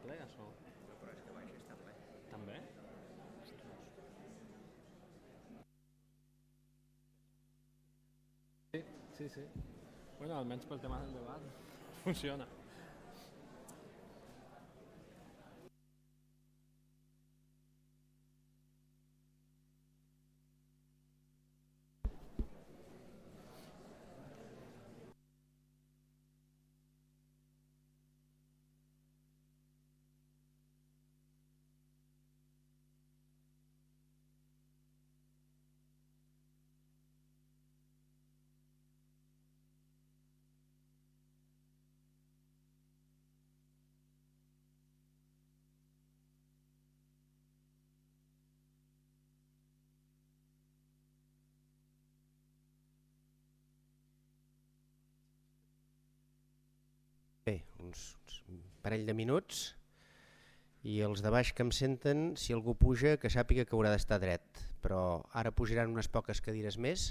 Balears o...? Però és que baix està ple. També? Sí. Bueno, almenys pel tema del debat funciona. Bé, uns parell de minuts i els de baix que em senten, si algú puja, que sàpiga que haurà d'estar dret. Però ara pujaran unes poques cadires més,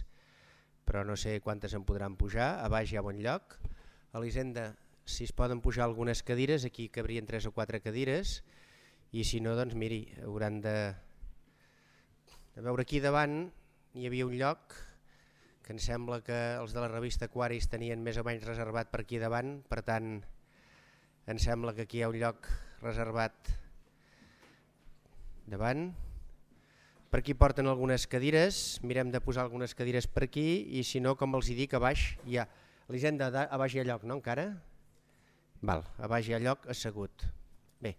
però no sé quantes en podran pujar. A baix hi ha bon lloc. A l'Hisenda, si es poden pujar algunes cadires, aquí cabrien 3 o 4 cadires, i si no, doncs miri, hauran de veure aquí davant. Hi havia un lloc que em sembla que els de la revista Aquaris tenien més o menys reservat per aquí davant, per tant em sembla que aquí hi ha un lloc reservat davant. Per aquí porten algunes cadires, mirem de posar algunes cadires per aquí, i si no, com els dic, a baix hi ha... L'Hisenda, a baix hi ha lloc, no encara? Val, a baix hi ha lloc assegut. Bé.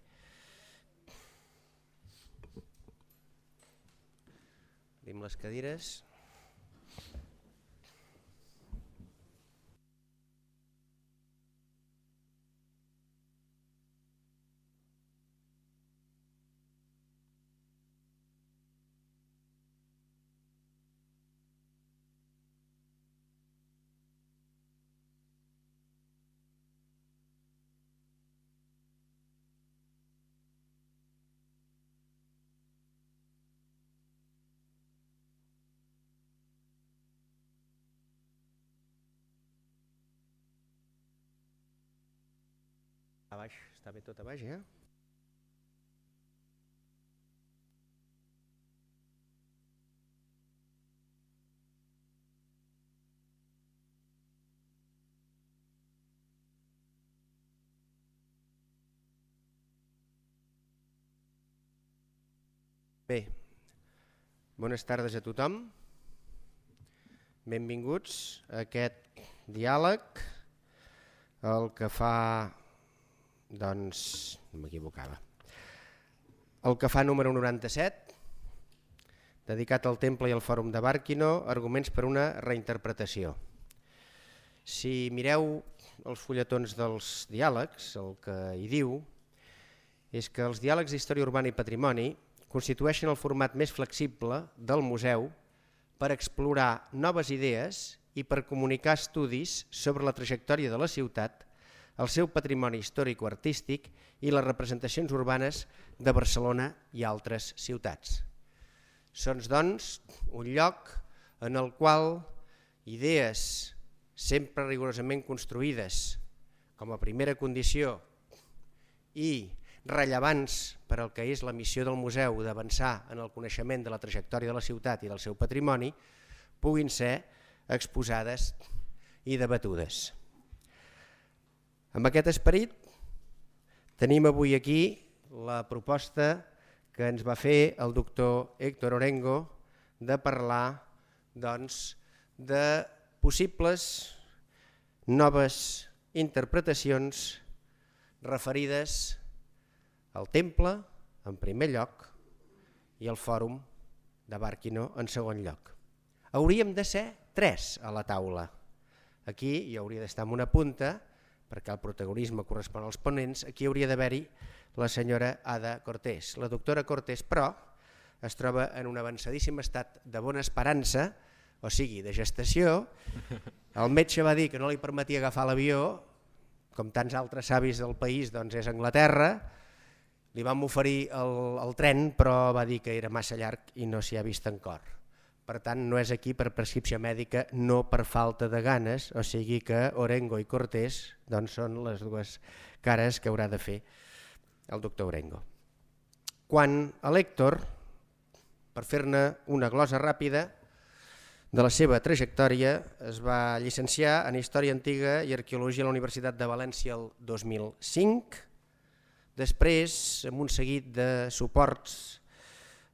Obrim les cadires. A baix, està bé tot a baix, Bé, bones tardes a tothom. Benvinguts a aquest diàleg, el que fa... Doncs m'equivocava. El que fa número 97, dedicat al Temple i al Fòrum de Bàrquino, arguments per una reinterpretació. Si mireu els fulletons dels diàlegs, el que hi diu és que els diàlegs d'història urbana i patrimoni constitueixen el format més flexible del museu per explorar noves idees i per comunicar estudis sobre la trajectòria de la ciutat, el seu patrimoni històrico-artístic i les representacions urbanes de Barcelona i altres ciutats. Són, doncs, un lloc en el qual idees sempre rigorosament construïdes com a primera condició i rellevants per al que és la missió del museu d'avançar en el coneixement de la trajectòria de la ciutat i del seu patrimoni puguin ser exposades i debatudes. Amb aquest esperit tenim avui aquí la proposta que ens va fer el doctor Héctor Orengo de parlar de possibles noves interpretacions referides al Temple en primer lloc i al Fòrum de Bàrquino en segon lloc. Hauríem de ser 3 a la taula. Aquí hi hauria d'estar en una punta, perquè el protagonisme correspon als ponents. Aquí hauria d'haver-hi la senyora Ada Cortés. La doctora Cortés, però, es troba en un avançadíssim estat de bona esperança, o sigui, de gestació. El metge va dir que no li permetia agafar l'avió, com tants altres savis del país, doncs és Anglaterra. Li vam oferir el tren, però va dir que era massa llarg i no s'hi ha vist encara. Per tant, no és aquí per prescripció mèdica, no per falta de ganes, o sigui que Orengo i Cortés doncs, són les dues cares que haurà de fer el doctor Orengo. Quan a l'Héctor, per fer-ne una glosa ràpida de la seva trajectòria, es va llicenciar en Història Antiga i Arqueologia a la Universitat de València el 2005. Després, amb un seguit de suports,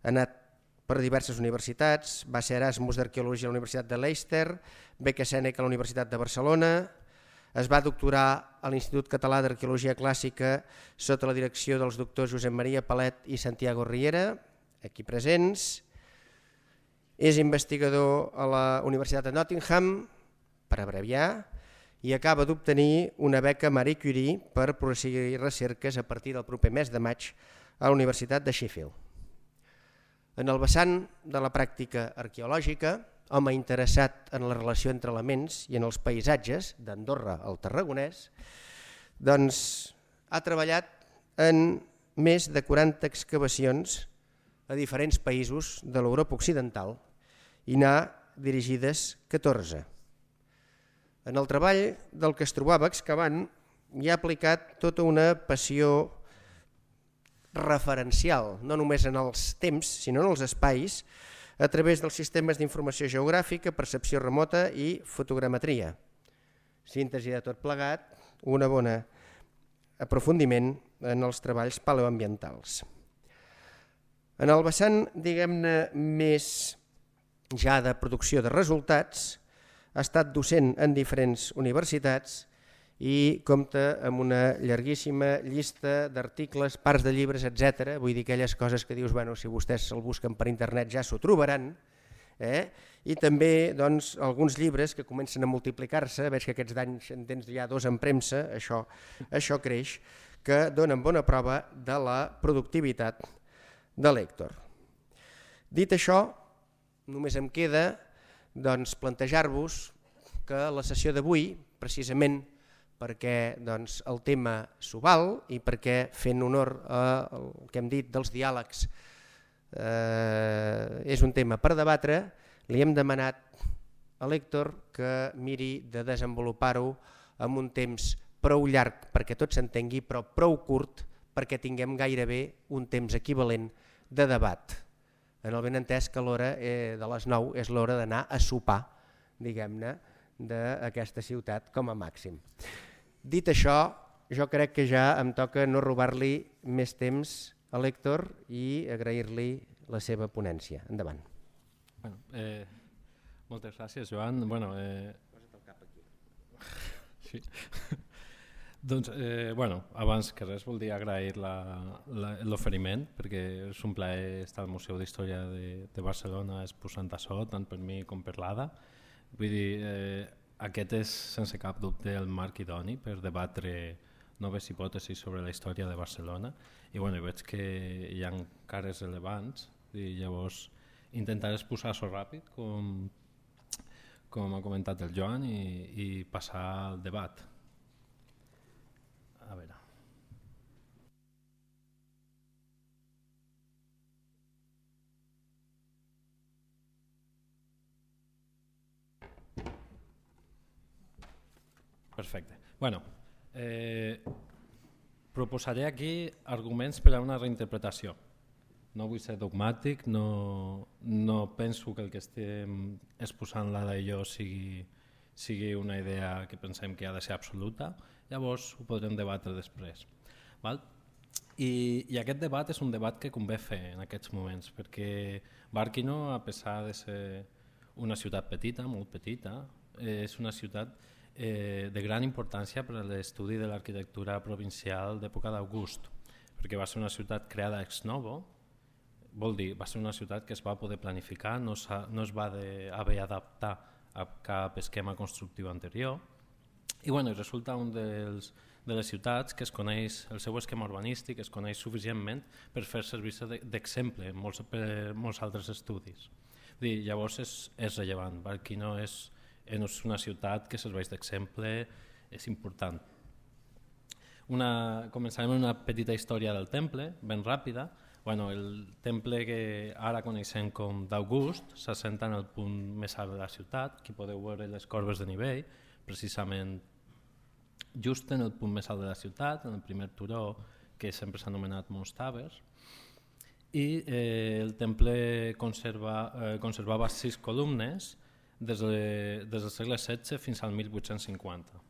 ha anat per diverses universitats, va ser Erasmus d'Arqueologia a la Universitat de Leicester, beca Sèneca a la Universitat de Barcelona, es va doctorar a l'Institut Català d'Arqueologia Clàssica sota la direcció dels doctors Josep Maria Palet i Santiago Riera, aquí presents. És investigador a la Universitat de Nottingham, per abreviar, i acaba d'obtenir una beca Marie Curie per proseguir recerques a partir del proper mes de maig a la Universitat de Sheffield. En el vessant de la pràctica arqueològica, home interessat en la relació entre elements i en els paisatges d'Andorra al Tarragonès, doncs ha treballat en més de 40 excavacions a diferents països de l'Europa occidental i n'ha dirigides 14. En el treball del que es trobava excavant hi ha aplicat tota una passió referencial, no només en els temps, sinó en els espais, a través dels sistemes d'informació geogràfica, percepció remota i fotogrametria. Síntesi de tot plegat, un bon aprofundiment en els treballs paleoambientals. En el vessant, diguem-ne, més ja de producció de resultats, ha estat docent en diferents universitats i compta amb una llarguíssima llista d'articles, parts de llibres, etc. Vull dir aquelles coses que dius, bueno, si vostès el busquen per internet ja s'ho trobaran. I també doncs, alguns llibres que comencen a multiplicar-se, veig que aquests anys en tens ja 2 en premsa, això creix, que donen bona prova de la productivitat de l'Héctor. Dit això, només em queda doncs, plantejar-vos que la sessió d'avui, precisament perquè doncs, el tema s'ho val i perquè fent honor al que hem dit dels diàlegs és un tema per debatre, li hem demanat a l'Héctor que miri de desenvolupar-ho en un temps prou llarg perquè tot s'entengui, però prou curt perquè tinguem gairebé un temps equivalent de debat. En el benentès que l'hora de les 9 és l'hora d'anar a sopar, diguem-ne, d'aquesta ciutat com a màxim. Dit això, jo crec que ja em toca no robar-li més temps a l'Héctor i agrair-li la seva ponència. Endavant. Bueno, moltes gràcies, Joan. Bueno, posa't el cap aquí. Sí. Doncs, abans que res voldria agrair l'oferiment, perquè és un plaer estar al Museu d'Història de Barcelona exposant això, tant per mi com per l'Ada. Vull dir, aquest és sense cap dubte el marc idoni per debatre noves hipòtesis sobre la història de Barcelona i veig que hi ha cares rellevants i llavors intentaré exposar-ho ràpid com ha comentat el Joan i passar al debat. A veure. Perfecte. Proposaré aquí arguments per a una reinterpretació. No vull ser dogmàtic, no penso que el que estem exposant l'Ada i jo sigui una idea que pensem que ha de ser absoluta, llavors ho podrem debatre després. Val? I aquest debat és un debat que convé fer en aquests moments, perquè Barquino, a pesar de ser una ciutat petita, molt petita, és una ciutat de gran importància per a l'estudi de l'arquitectura provincial d'època d'August, perquè va ser una ciutat creada ex novo, vol dir, va ser una ciutat que es va poder planificar, no es va haver d'adaptar a cap esquema constructiu anterior, i resulta un de les ciutats que es coneix, el seu esquema urbanístic es coneix suficientment per fer servir-se d'exemple per molts altres estudis. Llavors és rellevant, Barquino és una ciutat que serveix d'exemple, és important. Començarem amb una petita història del temple, ben ràpida. El temple que ara coneixem com d'August s'assenta en el punt més alt de la ciutat, aquí podeu veure les corbes de nivell, precisament just en el punt més alt de la ciutat, en el primer turó que sempre s'ha anomenat Mons Tabers, i el temple conservava 6 columnes des del segle XVI fins al 1850.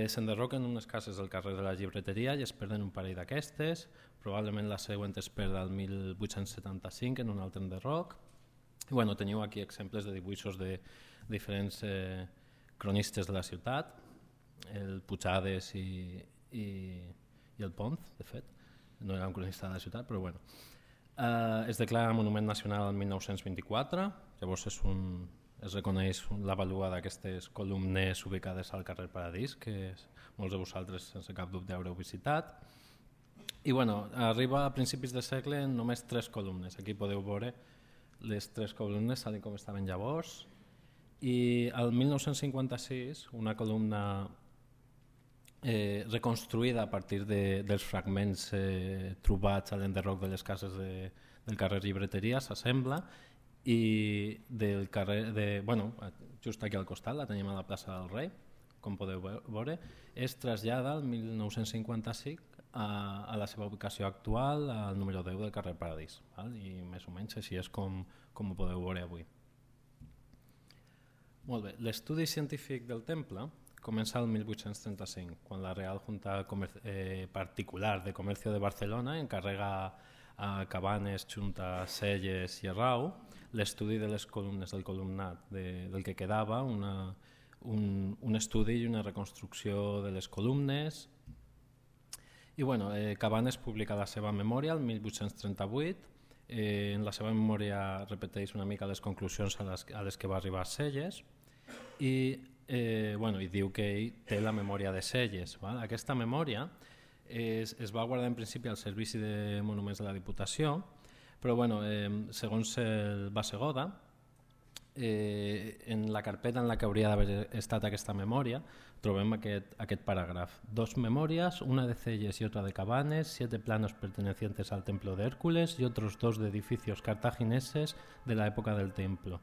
S'enderroquen unes cases del carrer de la Llibreteria i es perden un parell d'aquestes, probablement la següent es perd al 1875 en un altre enderroc. Bueno, teniu aquí exemples de dibuixos de diferents cronistes de la ciutat, el Puigades i el Pons, de fet, no era un cronista de la ciutat, però bueno. Es declara Monument Nacional el 1924, llavors es reconeix la vàlua d'aquestes columnes ubicades al carrer Paradís, que molts de vosaltres sense cap dubte haureu visitat. I bueno, arriba a principis de segle en només 3 columnes. Aquí podeu veure les 3 columnes tal com estaven llavors. I al 1956 una columna reconstruïda a partir dels fragments trobats a l'enderroc de les cases del carrer Llibreteria s'assembla i del carrer just aquí al costat, la tenim a la plaça del Rei, com podeu veure, es trasllada al 1955 a la seva ubicació actual, al número 10 del carrer Paradís, i més o menys així és com ho podeu veure avui. Molt bé, l'estudi científic del temple comença el 1835, quan la Real Junta Particular de Comercio de Barcelona encarrega a Cabanes, Junta, Selles i Arrau l'estudi de les columnes del columnat del que quedava, un estudi i una reconstrucció de les columnes. I bueno, Cabanes publica la seva memòria el 1838. En la seva memòria repeteix una mica les conclusions a les que va arribar Selles i diu que ell té la memòria de Selles. Aquesta memòria es va guardar en principi al Servici de Monuments de la Diputació, però segons el Bassegoda, en la carpeta en la que hauria d'haver estat aquesta memòria trobem aquest paràgraf: 2 memorias, una de Selles y otra de Cabanes, 7 planos pertenecientes al templo de Hércules y otros 2 de edificios cartagineses de la época del templo.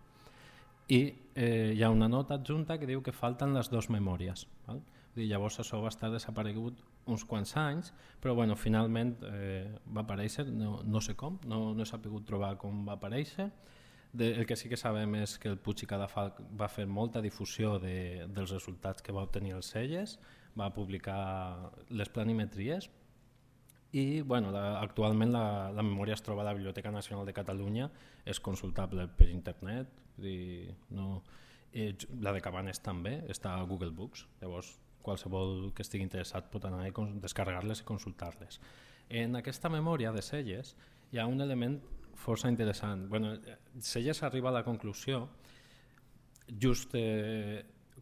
I hi ha una nota adjunta que diu que falten les 2 memòries. Llavors això va estar desaparegut uns quants anys, però finalment va aparèixer, no sé com, no he sabut trobar com va aparèixer. El que sí que sabem és que el Puig i Cadafalch va fer molta difusió dels resultats que va obtenir els Selles, va publicar les planimetries i actualment la memòria es troba a la Biblioteca Nacional de Catalunya, és consultable per internet, la de Cabanes també està a Google Books, llavors qualsevol que estigui interessat pot anar a descarregar-les i consultar-les. En aquesta memòria de Selles hi ha un element força interessant. Selles arriba a la conclusió just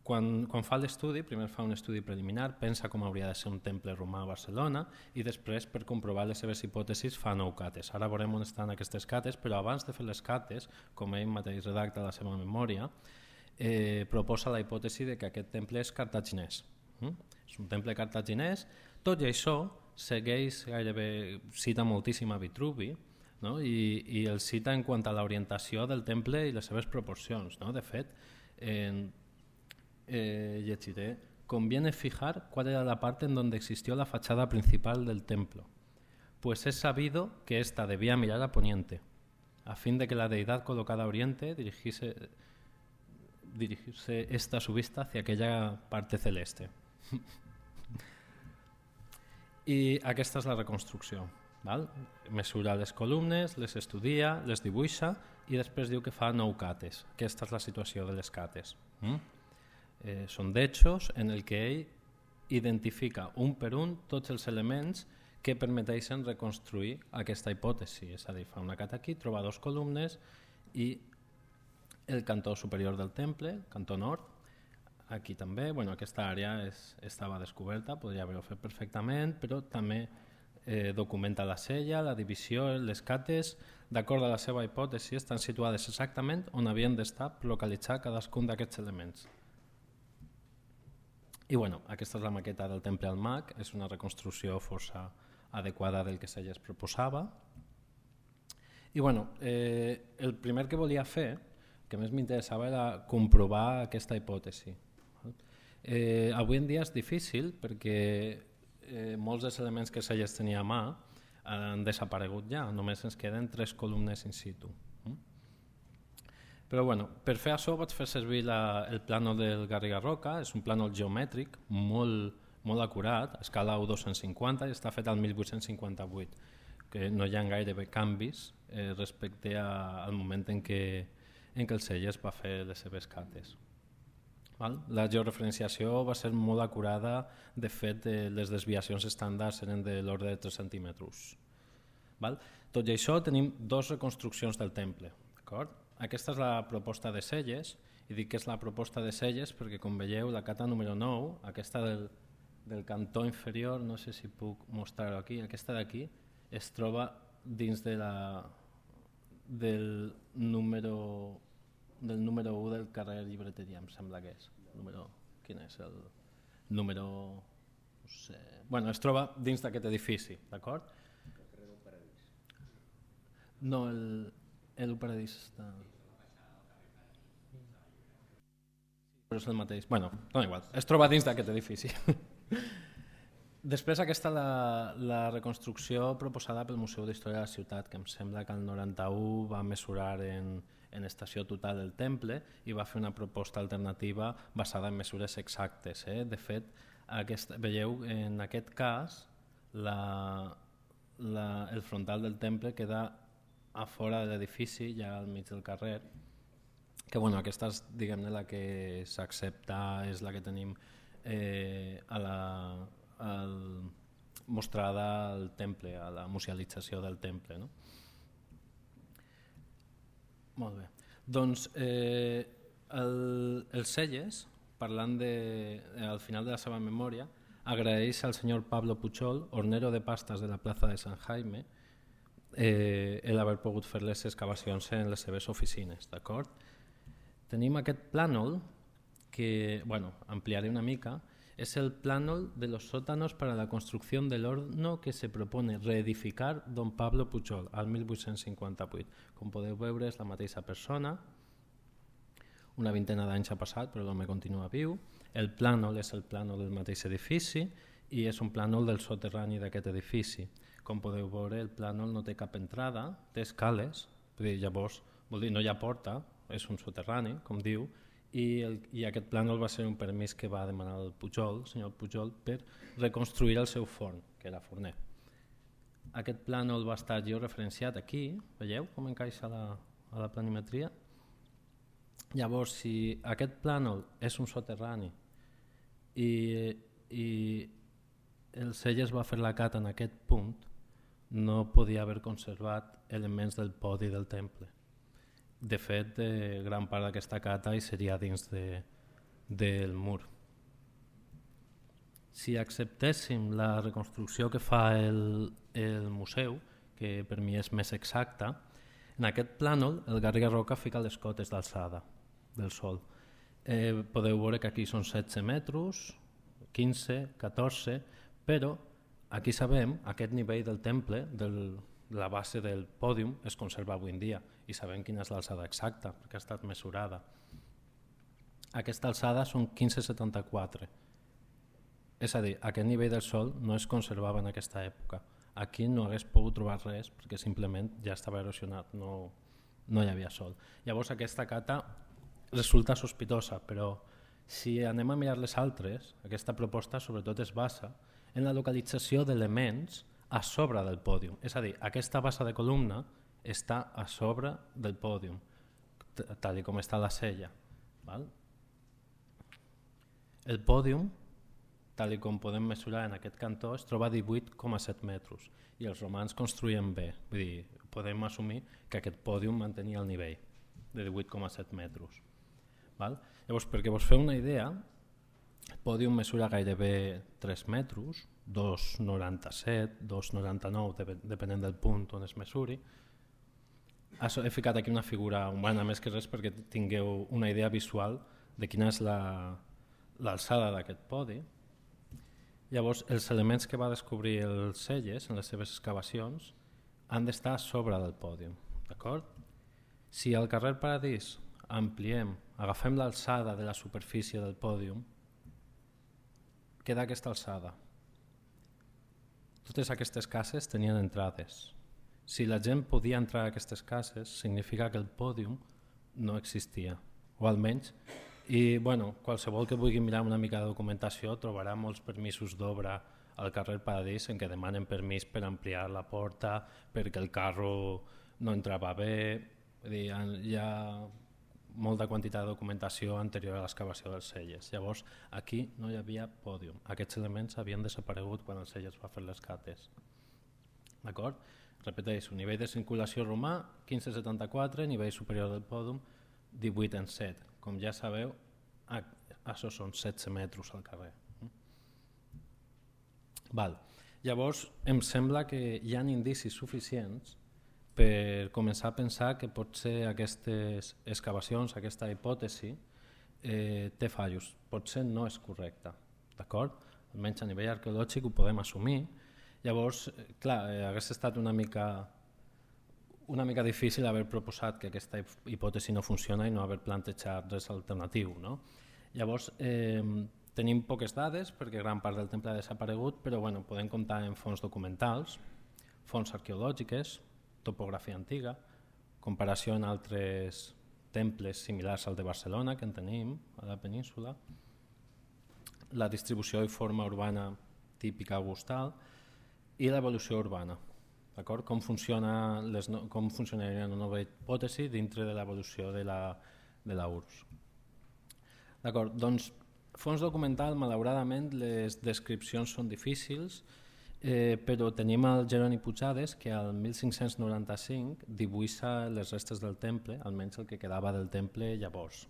quan fa l'estudi, primer fa un estudi preliminar, pensa com hauria de ser un temple romà a Barcelona i després, per comprovar les seves hipòtesis, fa 9 cates. Ara veurem on estan aquestes cates, però abans de fer les cates, com ell mateix redacta la seva memòria, proposa la hipòtesi de que aquest temple és cartaginès. És un temple cartaginès, tot i això segueix gairebé, cita moltíssim a Vitruvi, i el cita en quant a l'orientació del temple i les seves proporcions. De fet, llegiré: conviene fijar cuál era la parte en donde existió la fachada principal del templo, pues es sabido que ésta debía mirar a poniente, a fin de que la deidad colocada a oriente dirigirse esta su vista hacia aquella parte celeste. I aquesta és la reconstrucció. Mesura les columnes, les estudia, les dibuixa i després diu que fa 9 cates. Aquesta és la situació de les cates. Són d'hechos en el que ell identifica un per un tots els elements que permeteixen reconstruir aquesta hipòtesi. És a dir, fa una cata aquí, troba 2 columnes i el cantó superior del temple, cantó nord, aquí també, aquesta àrea estava descoberta, podria haver-ho fet perfectament, però també documenta la sella, la divisió, les cates, d'acord a la seva hipòtesi, estan situades exactament on havien d'estar localitzar cadascun d'aquests elements. I aquesta és la maqueta del temple al Mag, és una reconstrucció força adequada del que Selles proposava. I el primer que volia fer, que més m'interessava, era comprovar aquesta hipòtesi. Avui en dia és difícil perquè molts dels elements que Selles tenia a mà han desaparegut ja, només ens queden 3 columnes in situ. Però bueno, per fer això vaig fer servir el plànol del Garriga Roca, és un plànol geomètric molt acurat, a escala 1:250 i està fet al 1858, que no hi ha gairebé canvis respecte al moment en què el Selles va fer les seves cates. La georreferenciació va ser molt acurada, de fet les desviacions estàndards eren de l'ordre de 3 centímetres. Tot i això tenim 2 reconstruccions del temple. Aquesta és la proposta de Selles, i dic que és la proposta de Selles perquè, com veieu, la cata número 9, aquesta del cantó inferior, no sé si puc mostrar-ho aquí, aquesta d'aquí es troba dins del número 1 del carrer Llibreteria, em sembla que és. Quin és el número? No sé. Bueno, es troba dins d'aquest edifici, d'acord? El carrer del Paradís. No, el Paradís està... Però és el mateix. Bueno, no igual, es troba dins d'aquest edifici. Després aquesta la reconstrucció proposada pel Museu d'Història de la Ciutat, que em sembla que el 91 va mesurar en estació total del temple i va fer una proposta alternativa basada en mesures exactes. De fet, veieu, en aquest cas, el frontal del temple queda a fora de l'edifici, ja al mig del carrer, que bueno, aquesta és, diguem-ne, la que s'accepta, és la que tenim mostrada al temple, a la musealització del temple. No? Molt bé. Doncs el Selles, parlant al final de la seva memòria, agraeix al senyor Pablo Puchol, hornero de pastas de la plaza de San Jaime, el haver pogut fer les excavacions en les seves oficines. D'acord? Tenim aquest plànol que, bueno, ampliaré una mica, es el plànol de los sótanos para la construcción del horno que se propone reedificar don Pablo Puchol al 1858. Com podeu veure, és la mateixa persona, una vintena d'anys ha passat, però l'home continua viu. El plànol és el plànol del mateix edifici i és un plànol del soterrani d'aquest edifici. Com podeu veure, el plànol no té cap entrada, té escales, llavors vol dir, no hi ha porta, és un soterrani, com diu, i aquest plànol va ser un permís que va demanar el Pujol, el senyor Pujol, per reconstruir el seu forn, que era forner. Aquest plànol va estar georreferenciat aquí, veieu com encaixa a la planimetria? Llavors, si aquest plànol és un soterrani i el Selles va fer la cata en aquest punt, no podia haver conservat elements del podi del temple. De fet, gran part d'aquesta cata hi seria dins del mur. Si acceptéssim la reconstrucció que fa el museu, que per mi és més exacta, en aquest plànol el Garriga Roca fica les cotes d'alçada del sòl. Podeu veure que aquí són 16 metres, 15, 14, però aquí sabem aquest nivell del temple, la base del pòdium, es conserva avui en dia i sabem quina és l'alçada exacta perquè ha estat mesurada. Aquesta alçada són 15,74. És a dir, aquest nivell del sòl no es conservava en aquesta època. Aquí no hagués pogut trobar res perquè simplement ja estava erosionat, no hi havia sòl. Llavors aquesta cata resulta sospitosa, però si anem a mirar les altres, aquesta proposta sobretot es basa en la localització d'elements a sobre del pòdium. És a dir, aquesta base de columna està a sobre del pòdium, tal com està la sella. El pòdium, tal com podem mesurar en aquest cantó, es troba a 18,7 metres i els romans construïen bé. Vull dir, podem assumir que aquest pòdium mantenia el nivell de 18,7 metres. Llavors, perquè vos feu una idea, el pòdium mesura gairebé 3 metres, 2,97, 2,99, depenent del punt on es mesuri. He ficat aquí una figura humana més que res perquè tingueu una idea visual de quina és l'alçada d'aquest podi. Llavors, els elements que va descobrir el Selles en les seves excavacions han d'estar a sobre del pòdium. Si al carrer Paradís ampliem, agafem l'alçada de la superfície del pòdium, queda aquesta alçada. totes aquestes cases tenien entrades. Si la gent podia entrar a aquestes cases, significa que el pòdium no existia, o almenys. I bueno, qualsevol que vulgui mirar una mica de documentació trobarà molts permisos d'obra al carrer Paradís en què demanen permís per ampliar la porta, perquè el carro no entrava bé. Hi ha molta quantitat de documentació anterior a l'excavació dels celles. Llavors, aquí no hi havia pòdium. Aquests elements havien desaparegut quan el Celles va fer les cates. D'acord? Repeteixo, nivell de circulació romà, 1574, nivell superior del pòdium, 18 en 7. Com ja sabeu, això són 16 metres al carrer. Val. Llavors, em sembla que hi ha indicis suficients per començar a pensar que potser aquestes excavacions, aquesta hipòtesi, té fallos. Potser no és correcta, d'acord? Almenys a nivell arqueològic ho podem assumir. Llavors, clar, hagués estat una mica difícil haver proposat que aquesta hipòtesi no funciona i no haver plantejat res alternatiu, no? Llavors, tenim poques dades perquè gran part del temple ha desaparegut, però bueno, podem comptar en fonts documentals, fonts arqueològiques, topografia antiga, comparació en altres temples similars al de Barcelona que en tenim a la península, la distribució i forma urbana típica augustal i l'evolució urbana. Com funcionaria una nova hipòtesi dintre de l'evolució de la URSS. D'acord, doncs, fons documental, malauradament, les descripcions són difícils, però tenim el Jeroni Puigades que al 1595 dibuixa les restes del temple, almenys el que quedava del temple llavors.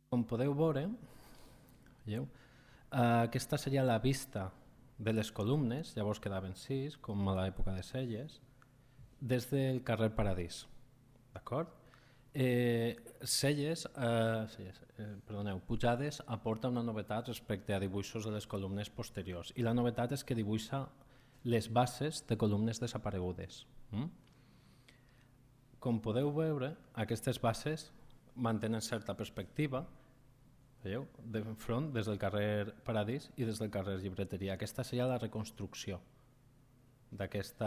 Com podeu veure, aquesta seria la vista de les columnes, llavors quedaven 6, com a l'època de Celles, des del carrer Paradís. D'acord? Puigades aporta una novetat respecte a dibuixos de les columnes posteriors i la novetat és que dibuixa les bases de columnes desaparegudes. Com podeu veure, aquestes bases mantenen certa perspectiva, veieu, de front des del carrer Paradís i des del carrer Llibreteria. Aquesta seria la reconstrucció d'aquest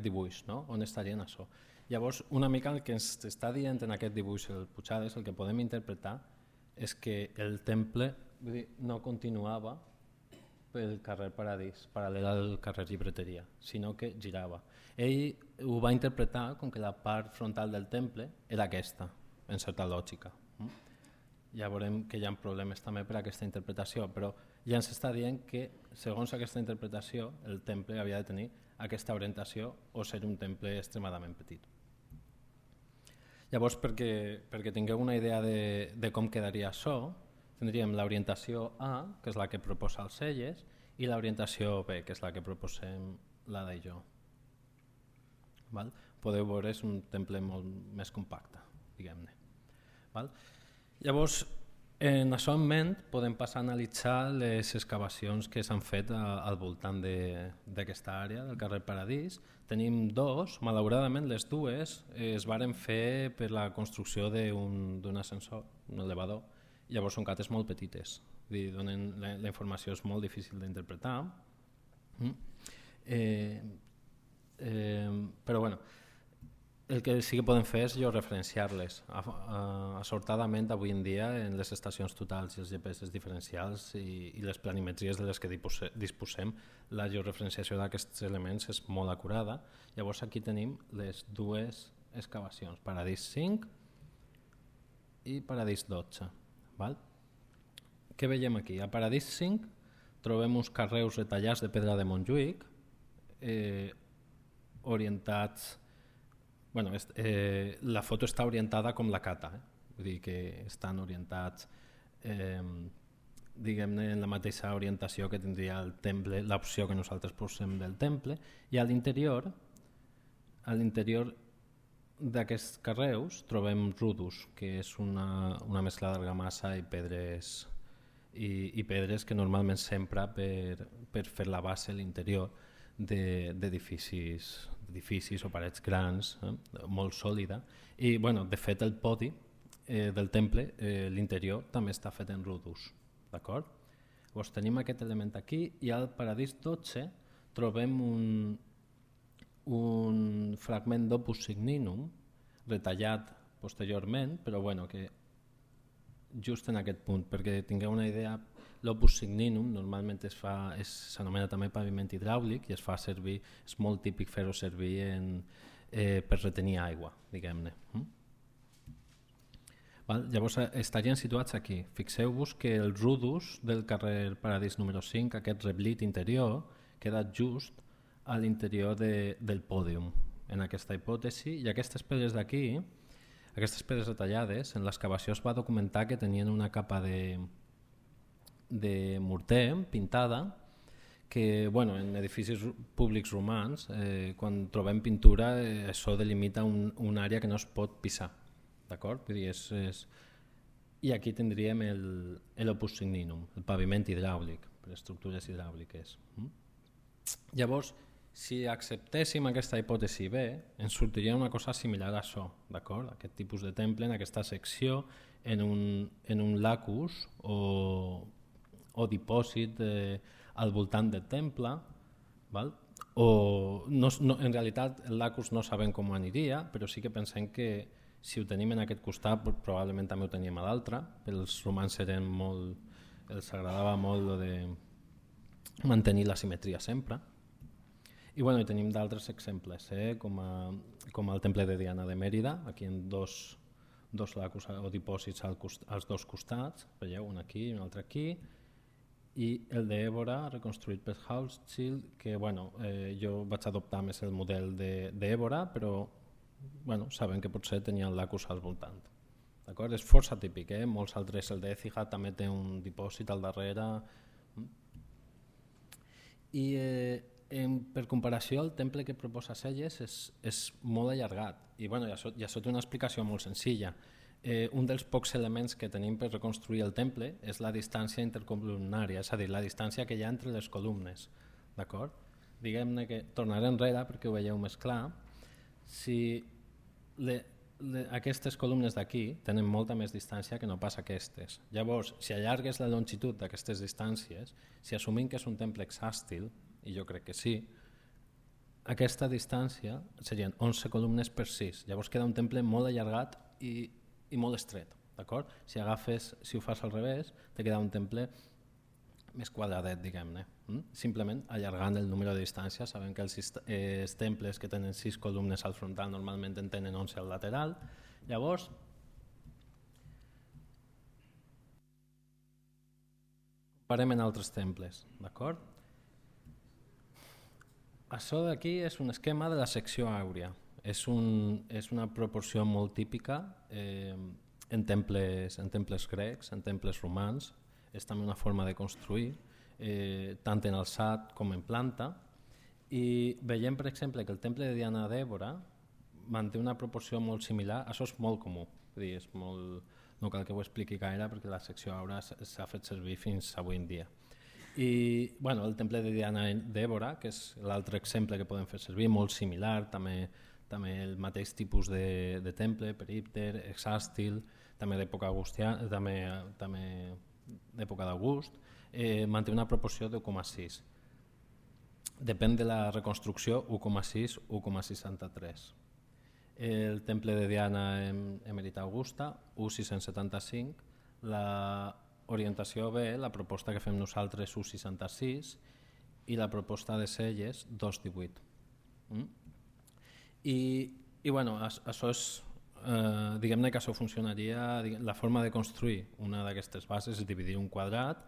dibuix, no? On estarien això. Llavors, una mica el que ens està dient en aquest dibuix el Puigades, el que podem interpretar és que el temple no continuava pel carrer Paradís, paral·lel al carrer Llibreteria, sinó que girava. Ell ho va interpretar com que la part frontal del temple era aquesta, en certa lògica. Ja veurem que hi ha problemes també per aquesta interpretació, però ja ens està dient que, segons aquesta interpretació, el temple havia de tenir aquesta orientació o ser un temple extremadament petit. Llavors, perquè tingueu una idea de com quedaria això, tindríem l'orientació A, que és la que proposa els Celles, i l'orientació B, que és la que proposem l'Ada i jo. Podeu veure, és un temple molt més compacte, diguem-ne. Llavors, en això en ment, podem passar a analitzar les excavacions que s'han fet al voltant d'aquesta àrea, del carrer Paradís. Tenim dos, malauradament les dues es varen fer per la construcció d'un ascensor, un elevador. Llavors són cates molt petites, la informació és molt difícil d'interpretar. Però bueno, el que sí que podem fer és referenciar-les. Assortadament, avui en dia, en les estacions totals i els GPS diferencials i les planimetries de les que disposem, la georreferenciació d'aquests elements és molt acurada. Llavors aquí tenim les dues excavacions, Paradís 5 i Paradís 12. Què veiem aquí? A Paradís 5 trobem uns carreus retallats de pedra de Montjuïc, orientats... la foto està orientada com la cata, vull dir que estan orientats diguem-ne en la mateixa orientació que tindria el temple, l'opció que nosaltres posem del temple, i a l'interior d'aquests carreus trobem rudus, que és una mescla d'argamassa i pedres que normalment s'empra per fer la base a l'interior d'edificis o parets grans, molt sòlida, i de fet el podi del temple, l'interior també està fet en rudus. d'acord? Llavors tenim aquest element aquí i al paradís 12 trobem un fragment d'opus signinum retallat posteriorment, però bueno, que just en aquest punt, perquè tingueu una idea, l'opus signinum normalment s'anomena també paviment hidràulic i es fa servir, és molt típic fer-ho servir per retenir aigua, diguem-ne. Llavors estarien situats aquí. Fixeu-vos que el rudus del carrer Paradís número 5, aquest reblit interior, queda just a l'interior del pòdium, en aquesta hipòtesi, i aquestes pedres d'aquí, aquestes pedres retallades, en l'excavació es va documentar que tenien una capa de morter pintada que en edificis públics romans, quan trobem pintura, això delimita una àrea que no es pot pisar. D'acord? I aquí tindríem l'opus signinum, el paviment hidràulic, per estructures hidràuliques. Llavors, si acceptéssim aquesta hipòtesi B, ens sortiria una cosa similar a això, d'acord? Aquest tipus de temple en aquesta secció, en un lacus o dipòsit al voltant del temple, val? En realitat el lacus no sabem com aniria, però sí que pensem que si ho tenim en aquest costat probablement també ho teníem a l'altre, però els romans els agradava molt de mantenir la simetria sempre. I tenim d'altres exemples, com el temple de Diana de Mèrida, aquí en dos lacus o dipòsits als dos costats, veieu, un aquí i un altre aquí, i el d'Évora, reconstruït per Hochschild, que jo vaig adoptar més el model d'Évora, però saben que potser tenia el lacus al voltant. És força típic, molts altres, el d'Écija també té un dipòsit al darrere. I per comparació, el temple que proposa Selles és molt allargat i això té una explicació molt senzilla. Un dels pocs elements que tenim per reconstruir el temple és la distància intercolumnària, és a dir, la distància que hi ha entre les columnes. Diguem-ne que tornaré enrere perquè ho veieu més clar. Si aquestes columnes d'aquí tenen molta més distància que no pas aquestes. Llavors, si allargues la longitud d'aquestes distàncies, si assumim que és un temple hexàstil, i jo crec que sí, aquesta distància serien 11 columnes per 6. Llavors queda un temple molt allargat i molt estret. Si ho fas al revés, te queda un temple més quadradet, diguem-ne. Simplement allargant el número de distàncies. Sabem que els temples que tenen 6 columnes al frontal normalment en tenen 11 al lateral. Llavors, comparem en altres temples. Això d'aquí és un esquema de la secció àurea. És una proporció molt típica en temples grecs, en temples romans. És també una forma de construir, tant en alçat com en planta. I veiem, per exemple, que el temple de Diana d'Évora manté una proporció molt similar. Això és molt comú, no cal que ho expliqui gaire perquè la secció àurea s'ha fet servir fins avui en dia. I el temple de Diana d'Évora, que és l'altre exemple que podem fer servir, molt similar, també el mateix tipus de temple, perípter, hexàstil, també d'època agustiana, també d'època d'August, manté una proporció de 1,6. Depèn de la reconstrucció, 1,6, 1,63. El temple de Diana Emerita Augusta, 1,675. La orientació B, la proposta que fem nosaltres, 1,66, i la proposta de Selles, 2,18. Això és, diguem-ne que això funcionaria, la forma de construir una d'aquestes bases és dividir un quadrat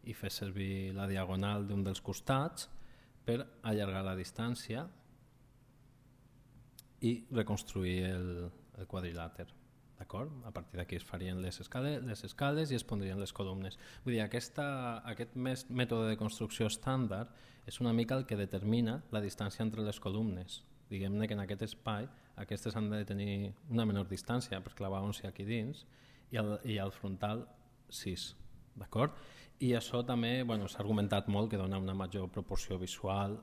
i fer servir la diagonal d'un dels costats per allargar la distància i reconstruir el quadrilàter. A partir d'aquí es farien les escales i es pondrien les columnes. Vull dir, aquest mètode de construcció estàndard és una mica el que determina la distància entre les columnes. Diguem-ne que en aquest espai aquestes han de tenir una menor distància per clavar 11 aquí dins i al frontal 6. I això també s'ha argumentat molt que dona una major proporció visual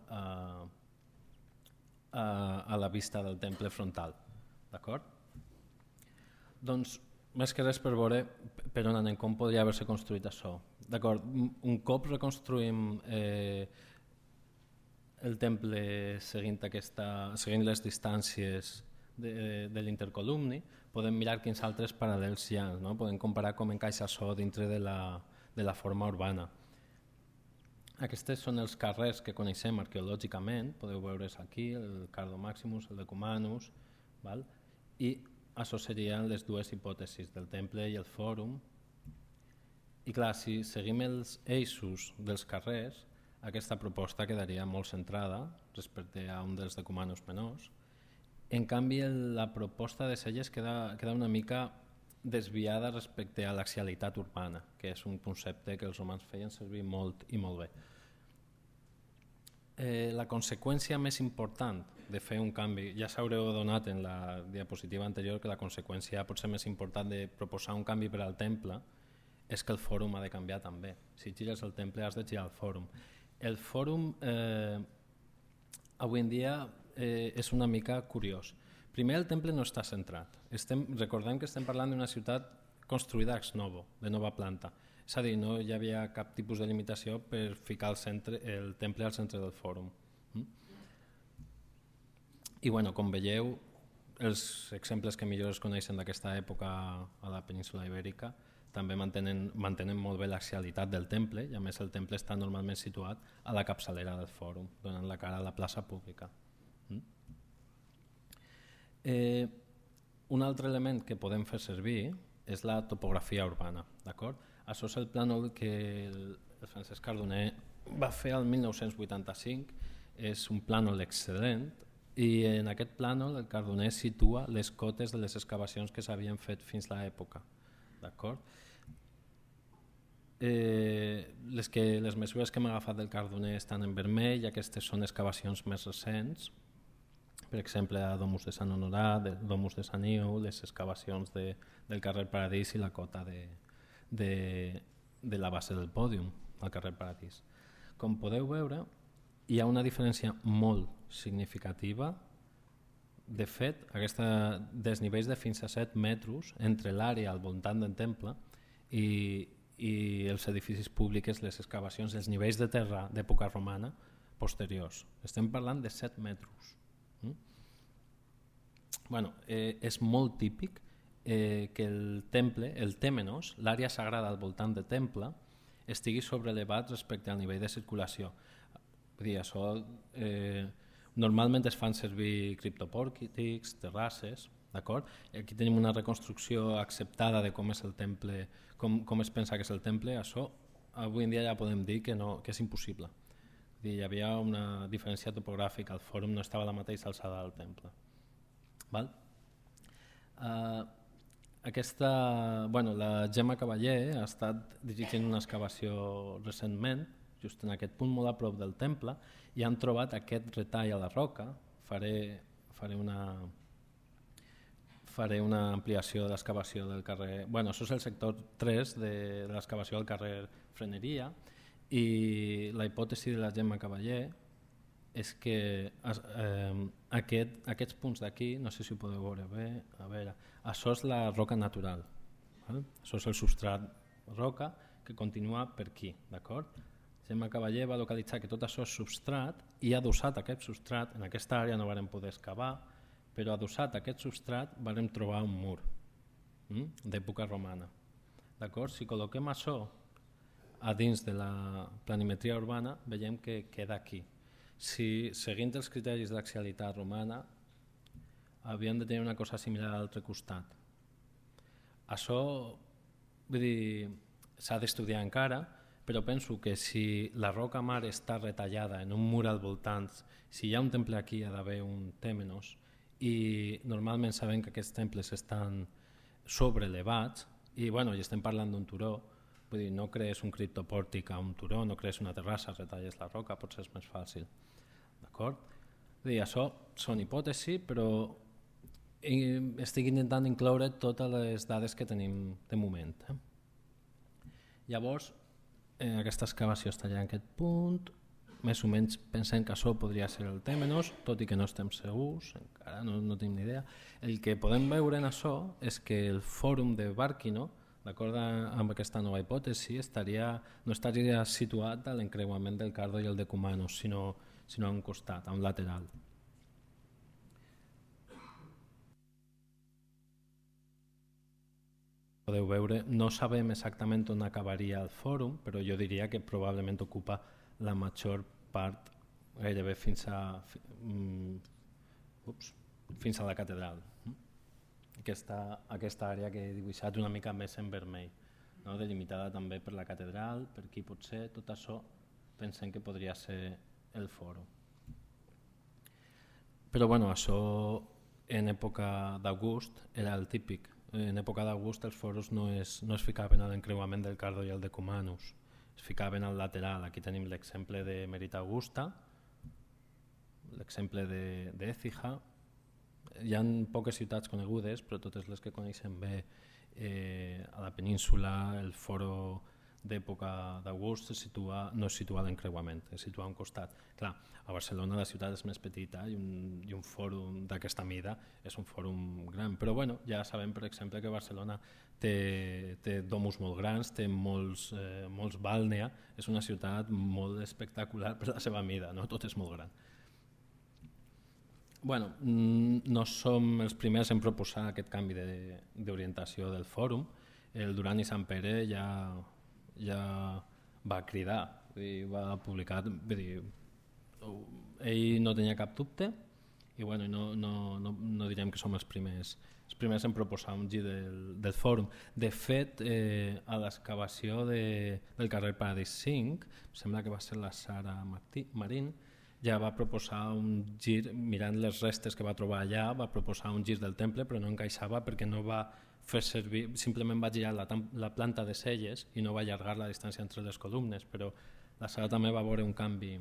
a la vista del temple frontal. Doncs, més que res per veure per on anem, com podria haver-se construït això. D'acord, un cop reconstruïm el temple seguint les distàncies de l'intercolumni, podem mirar quins altres paral·lels hi ha, no? Podem comparar com encaixa això dintre de la forma urbana. Aquests són els carrers que coneixem arqueològicament, podeu veure's aquí, el Cardo Maximus, el Decumanus, val? I això serien les dues hipòtesis del temple i el fòrum. I clar, si seguim els eixos dels carrers, aquesta proposta quedaria molt centrada respecte a un dels decumanus menors. En canvi, la proposta de Selles queda una mica desviada respecte a l'axialitat urbana, que és un concepte que els romans feien servir molt i molt bé. La conseqüència més important de fer un canvi, ja s'haureu donat en la diapositiva anterior que la conseqüència potser més important de proposar un canvi per al temple és que el fòrum ha de canviar també. Si gires el temple has de girar el fòrum. El fòrum avui en dia és una mica curiós. Primer, el temple no està centrat. Recordem que estem parlant d'una ciutat construïda ex novo, de nova planta. És a dir, no hi havia cap tipus de limitació per ficar el temple al centre del fòrum. I bueno, com veieu, els exemples que millor es coneixen d'aquesta època a la península ibèrica també mantenen molt bé l'axialitat del temple, i a més el temple està normalment situat a la capçalera del fòrum, donant la cara a la plaça pública. Un altre element que podem fer servir és la topografia urbana. Això és el plànol que el Francesc Cardoner va fer el 1985, és un plànol excel·lent, i en aquest plànol el Cardoner situa les cotes de les excavacions que s'havien fet fins a l'època. Les mesures que hem agafat del Cardoner estan en vermell i aquestes són excavacions més recents, per exemple a Domus de Sant Honorat, Domus de Sant Iu, les excavacions del carrer Paradís i la cota de la base del pòdium al carrer Paradís. Com podeu veure, hi ha una diferència molt significativa. De fet, aquesta desnivells de fins a 7 metres entre l'àrea al voltant del temple i els edificis públics, les excavacions, els nivells de terra d'època romana posteriors. Estem parlant de 7 metres. És molt típic que el temple, el tèmenos, l'àrea sagrada al voltant del temple, estigui sobreelevat respecte al nivell de circulació. Normalment es fan servir criptopòrtics, terrasses, d'acord? Aquí tenim una reconstrucció acceptada de com és el temple, com es pensa que és el temple. Això avui en dia ja podem dir que és impossible. Hi havia una diferència topogràfica, el fòrum no estava a la mateixa alçada del temple. La Gemma Cavaller ha estat dirigint una excavació recentment, just en aquest punt molt a prop del temple, i han trobat aquest retall a la roca. Faré una ampliació de l'excavació del carrer... Això és el sector 3 de l'excavació del carrer Freneria, i la hipòtesi de la Gemma Cavaller és que aquests punts d'aquí, no sé si ho podeu veure bé, això és la roca natural, això és el substrat roca que continua per aquí, d'acord? Gemma Cavaller va localitzar que tot això és substrat i adossat a aquest substrat, en aquesta àrea no vam poder excavar, però adossat a aquest substrat vam trobar un mur d'època romana. Si col·loquem això a dins de la planimetria urbana, veiem que queda aquí. Si seguint els criteris d'axialitat romana havíem de tenir una cosa similar a l'altre costat. Això s'ha d'estudiar encara, però penso que si la roca mare està retallada en un mur al voltant, si hi ha un temple aquí hi ha d'haver un tèmenos, i normalment sabem que aquests temples estan sobreelevats i estem parlant d'un turó, vull dir, no crees un criptopòrtic a un turó, no crees una terrassa, retalles la roca, potser és més fàcil. D'acord? Això són hipòtesis, però estic intentant incloure totes les dades que tenim de moment. Llavors, aquesta excavació estaria en aquest punt, més o menys pensem que això podria ser el tèmenos, tot i que no estem segurs, encara no tenim ni idea. El que podem veure en això és que el fòrum de Bàrquino D'acord amb aquesta nova hipòtesi, no estaria situat a l'encreuament del Cardo i el Decumanus, sinó a un costat, a un lateral. Podeu veure, no sabem exactament on acabaria el fòrum, però jo diria que probablement ocupa la major part, gairebé fins a la catedral. Aquesta àrea que he dibuixat una mica més en vermell, no? Delimitada també per la catedral, per aquí potser tot això pensem que podria ser el fòrum. Però bueno, això en època d'August era el típic. En època d'August els fòrums no es ficaven a l'encreuament del Cardo i el Decumanus, es ficaven al lateral. Aquí tenim l'exemple de Merita Augusta, l'exemple d'Écija. Hi ha poques ciutats conegudes, però totes les que coneixem bé a la península, el fòrum d'època d'August no es situa a l'encreuament, es situa a un costat. Clar, a Barcelona la ciutat és més petita i un fòrum d'aquesta mida és un fòrum gran, però bueno, ja sabem per exemple que Barcelona té domus molt grans, té molts bàlnea, és una ciutat molt espectacular per la seva mida, no? Tot és molt gran. Bueno, no som els primers en proposar aquest canvi d'orientació del fòrum. El Duran i Sant Pere ja va cridar i va publicar, ell no tenia cap dubte i bueno, no direm que som els primers en proposar un gir del fòrum. De fet, a l'excavació del carrer Paradís 5, sembla que va ser la Sara Marín, ja va proposar un gir, mirant les restes que va trobar allà, va proposar un gir del temple, però no encaixava perquè no va fer servir, simplement va girar la planta de celles i no va allargar la distància entre les columnes, però la Sara també va veure un canvi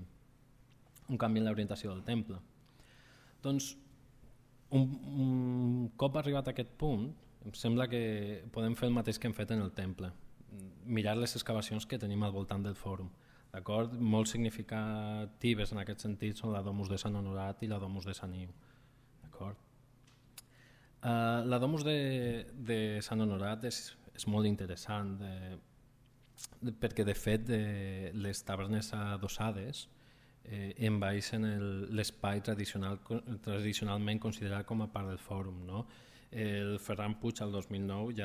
en l'orientació del temple. Doncs, un cop arribat a aquest punt, em sembla que podem fer el mateix que hem fet en el temple, mirar les excavacions que tenim al voltant del fòrum. Molt significatives en aquest sentit són la Domus de Sant Honorat i la Domus de Sant Iu. La Domus de Sant Honorat és molt interessant perquè de fet les tavernes adossades envaeixen l'espai tradicionalment considerat com a part del fòrum, no? El Ferran Puig el 2009,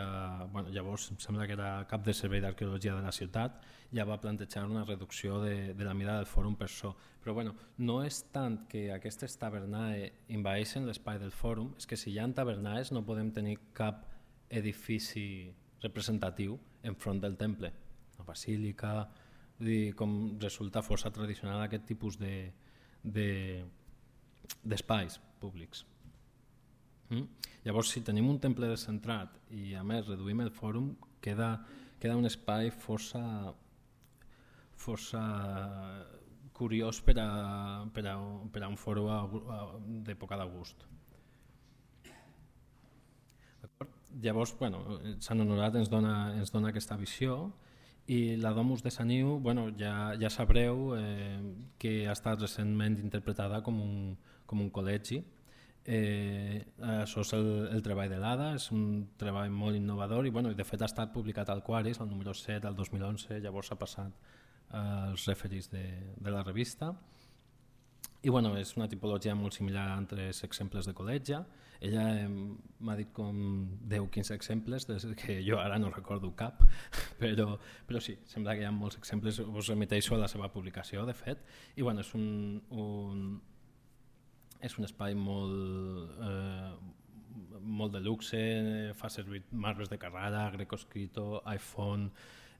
llavors em sembla que era cap de servei d'arqueologia de la ciutat, ja va plantejar una reducció de la mida del fòrum per això. Però no és tant que aquestes tavernae envaeixen l'espai del fòrum, és que si hi ha tavernaes no podem tenir cap edifici representatiu enfront del temple. La basílica, com resulta força tradicional aquest tipus d'espais públics. Llavors, si tenim un temple descentrat i a més reduïm el fòrum, queda un espai força curiós per a un fòrum d'època d'August. Llavors, Sant Honorat ens dona aquesta visió i la Domus de Sant Iu, ja sabreu que ha estat recentment interpretada com un col·legi. Això és el treball de l'Ada, és un treball molt innovador i de fet ha estat publicat al Quaris, el número 7 del 2011, llavors ha passat als referis de la revista i és una tipologia molt similar a altres exemples de col·legia. Ella m'ha dit com 10-15 exemples que jo ara no recordo cap, però sí, sembla que hi ha molts exemples, us remeteixo a la seva publicació de fet i és un espai molt de luxe, fa servir marbres de Carrara, Greco escrito, iPhone.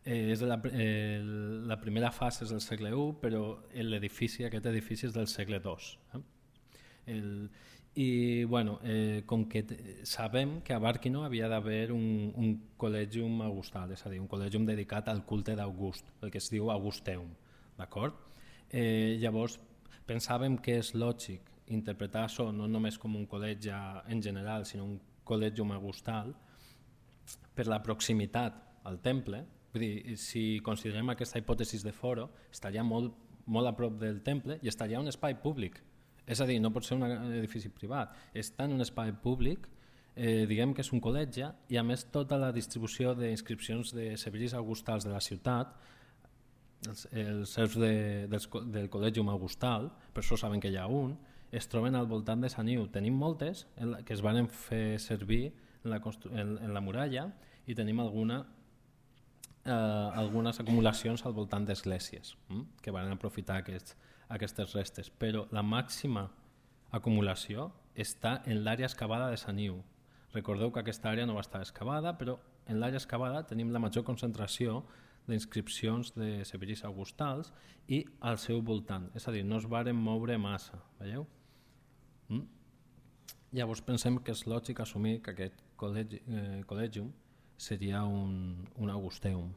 La primera fase és del segle I, però aquest edifici és del segle II. Com que sabem que a Bàrquino havia d'haver un col·legium augustal, és a dir, un col·legium dedicat al culte d'August, el que es diu Augusteum. Llavors pensàvem que és lògic interpretar això no només com un col·legi en general, sinó un col·legium augustal per la proximitat al temple. Vull dir, si considerem aquesta hipòtesi de foro, estaria molt a prop del temple i estaria en un espai públic. És a dir, no pot ser un edifici privat, està en un espai públic diguem que és un col·legi i a més tota la distribució d'inscripcions de sebollis augustals de la ciutat, els seus del Col·legium Augustal, per això saben que hi ha un, es troben al voltant de Sant Iu. Tenim moltes que es van fer servir en la muralla i tenim algunes acumulacions al voltant d'esglésies que van aprofitar aquestes restes, però la màxima acumulació està en l'àrea excavada de Sant Iu. Recordeu que aquesta àrea no va estar excavada, però en l'àrea excavada tenim la major concentració d'inscripcions de sebollis augustals i al seu voltant, és a dir, no es varen moure massa, veieu? Llavors pensem que és lògic assumir que aquest col·legium seria un augusteum,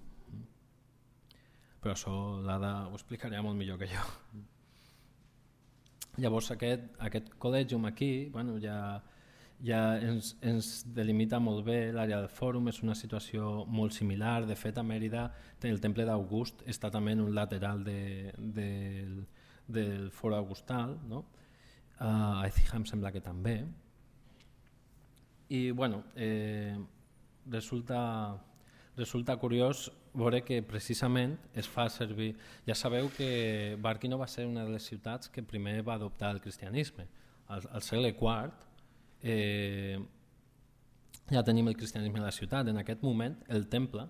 però això l'Ada ho explicaria molt millor que jo. Llavors aquest col·legium aquí ja ens delimita molt bé l'àrea del fòrum, és una situació molt similar. De fet, a Mèrida el temple d'August està també en un lateral del fòrum augustal, no? A Écija em sembla que també. I bueno, resulta curiós veure que precisament es fa servir. Ja sabeu que Barquino va ser una de les ciutats que primer va adoptar el cristianisme. Al segle IV ja tenim el cristianisme a la ciutat. En aquest moment el temple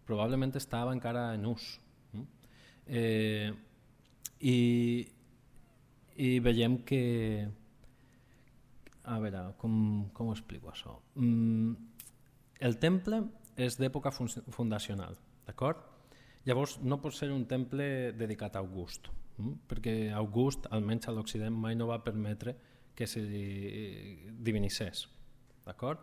probablement estava encara en ús. I veiem que... A veure, com ho explico això? El temple és d'època fundacional, d'acord? Llavors no pot ser un temple dedicat a August, perquè August, almenys a l'Occident, mai no va permetre que se divinissés, d'acord?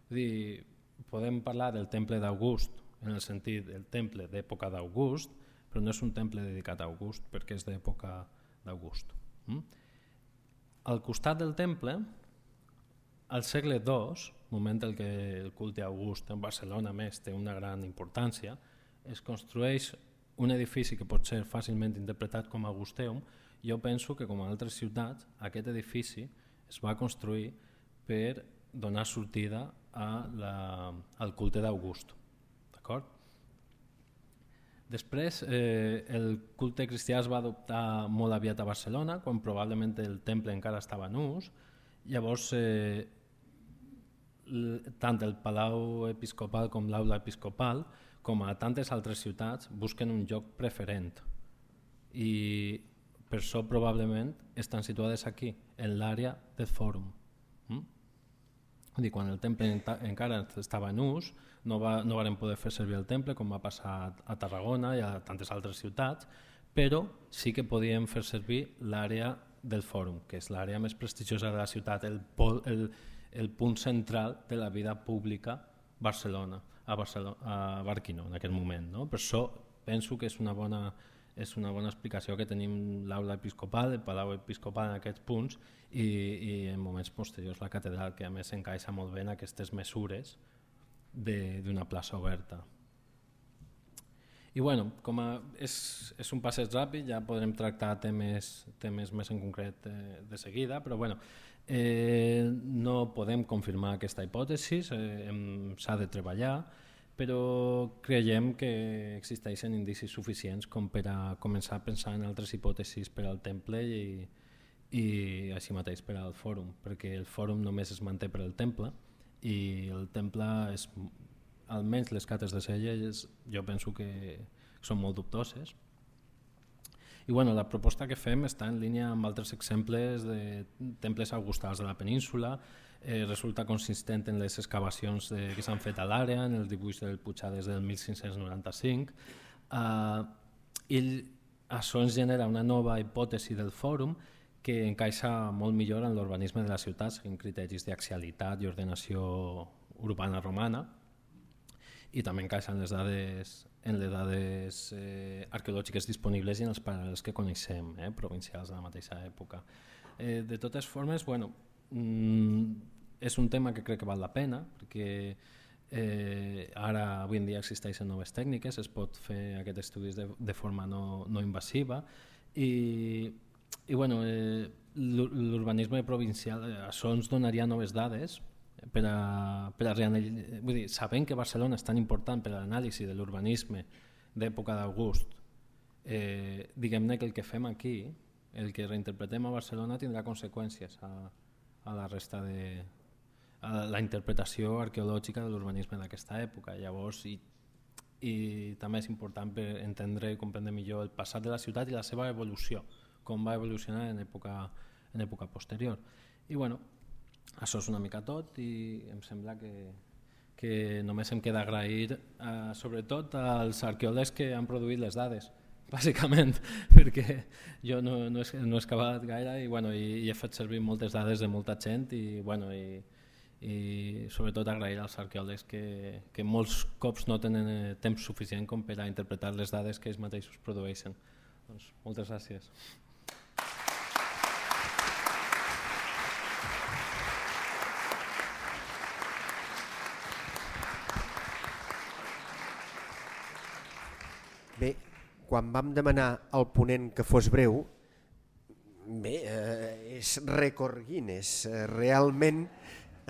Vull dir, podem parlar del temple d'August en el sentit del temple d'època d'August, però no és un temple dedicat a August perquè és d'època d'August. Al costat del temple, al segle II, moment en què el culte a August en Barcelona més té una gran importància, es construeix un edifici que pot ser fàcilment interpretat com a augusteum. Jo penso que, com a altres ciutats, aquest edifici es va construir per donar sortida al culte d'August. D'acord? Després, el culte cristià es va adoptar molt aviat a Barcelona, quan probablement el temple encara estava en ús. Llavors, tant el Palau Episcopal com l'Aula Episcopal, com a tantes altres ciutats, busquen un lloc preferent. I per això probablement estan situades aquí, en l'àrea del fòrum. Quan el temple encara estava en ús, no varen poder fer servir el temple, com va passar a Tarragona i a tantes altres ciutats, però sí que podien fer servir l'àrea del fòrum, que és l'àrea més prestigiosa de la ciutat, el punt central de la vida pública a Barquino en aquest moment. No? Per això penso que és una bona explicació que tenim l'Aula Episcopal, el Palau Episcopal en aquests punts i en moments posteriors la catedral, que a més encaixa molt bé en aquestes mesures d'una plaça oberta. I bueno, com és un passeig ràpid, ja podrem tractar temes més en concret de seguida, però bueno, no podem confirmar aquesta hipòtesi, s'ha de treballar, però creiem que existeixen indicis suficients com per a començar a pensar en altres hipòtesis per al temple i així mateix per al fòrum, perquè el fòrum només es manté per al temple i el temple, almenys les cates de Celles, jo penso que són molt dubtoses. I bueno, la proposta que fem està en línia amb altres exemples de temples augustals de la península, resulta consistent en les excavacions que s'han fet a l'àrea, en el dibuix del Puigades del 1595, i això ens genera una nova hipòtesi del fòrum que encaixa molt millor en l'urbanisme de la ciutat, seguint criteris d'axialitat i ordenació urbana romana, i també encaixa en les dades arqueològiques disponibles i en els paral·lels que coneixem, provincials de la mateixa època. De totes formes, bueno, és un tema que crec que val la pena, perquè ara avui en dia existeixen noves tècniques, es pot fer aquests estudis de forma no invasiva i bueno, l'urbanisme provincial, això ens donaria noves dades vull dir, sabent que Barcelona és tan important per a l'anàlisi de l'urbanisme d'època d'August, diguem-ne que el que fem aquí, el que reinterpretem a Barcelona, tindrà conseqüències a la resta a la interpretació arqueològica de l'urbanisme d'aquesta època. Llavors, i també és important per entendre i comprendre millor el passat de la ciutat i la seva evolució, com va evolucionar en època posterior. I bueno, això és una mica tot i em sembla que només em queda agrair sobretot als arqueòlegs que han produït les dades, bàsicament, perquè jo no he excavat gaire i he fet servir moltes dades de molta gent i sobretot agrair als arqueòlegs que molts cops no tenen temps suficient com per a interpretar les dades que ells mateixos produeixen. Doncs, moltes gràcies. Bé, quan vam demanar al ponent que fos breu, és rècord Guinness, realment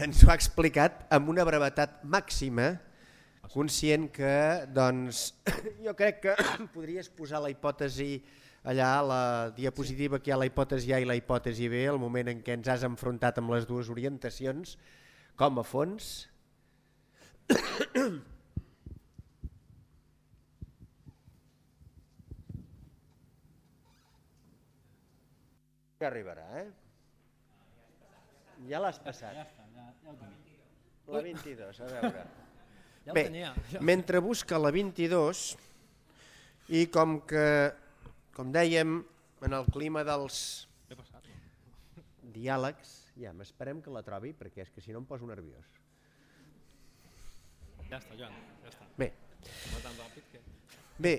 ens ho ha explicat amb una brevetat màxima, conscient que, doncs, jo crec que podries posar la hipòtesi allà, a la diapositiva que hi ha la hipòtesi A i la hipòtesi B, el moment en què ens has enfrontat amb les dues orientacions, com a fons. Ja arribarà, Ja l'has passat. La 22, a veure. Bé, mentre busca la 22, i com dèiem, en el clima dels diàlegs, ja m'esperem que la trobi, perquè és que si no em poso nerviós. Ja està, Joan, ja està. Bé,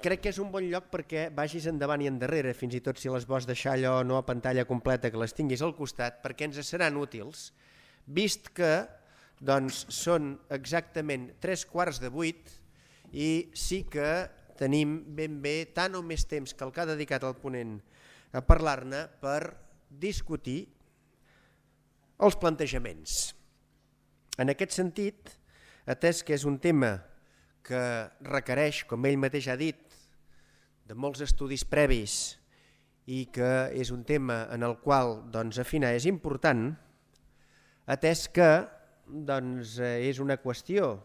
crec que és un bon lloc perquè vagis endavant i endarrere, fins i tot si les vols deixar allò no a pantalla completa, que les tinguis al costat, perquè ens seran útils, vist que doncs, són exactament 7:45 i sí que tenim ben bé tant o més temps que el que ha dedicat el ponent a parlar-ne per discutir els plantejaments. En aquest sentit, atès que és un tema que requereix, com ell mateix ha dit, de molts estudis previs i que és un tema en el qual afinar és important, atès que és una qüestió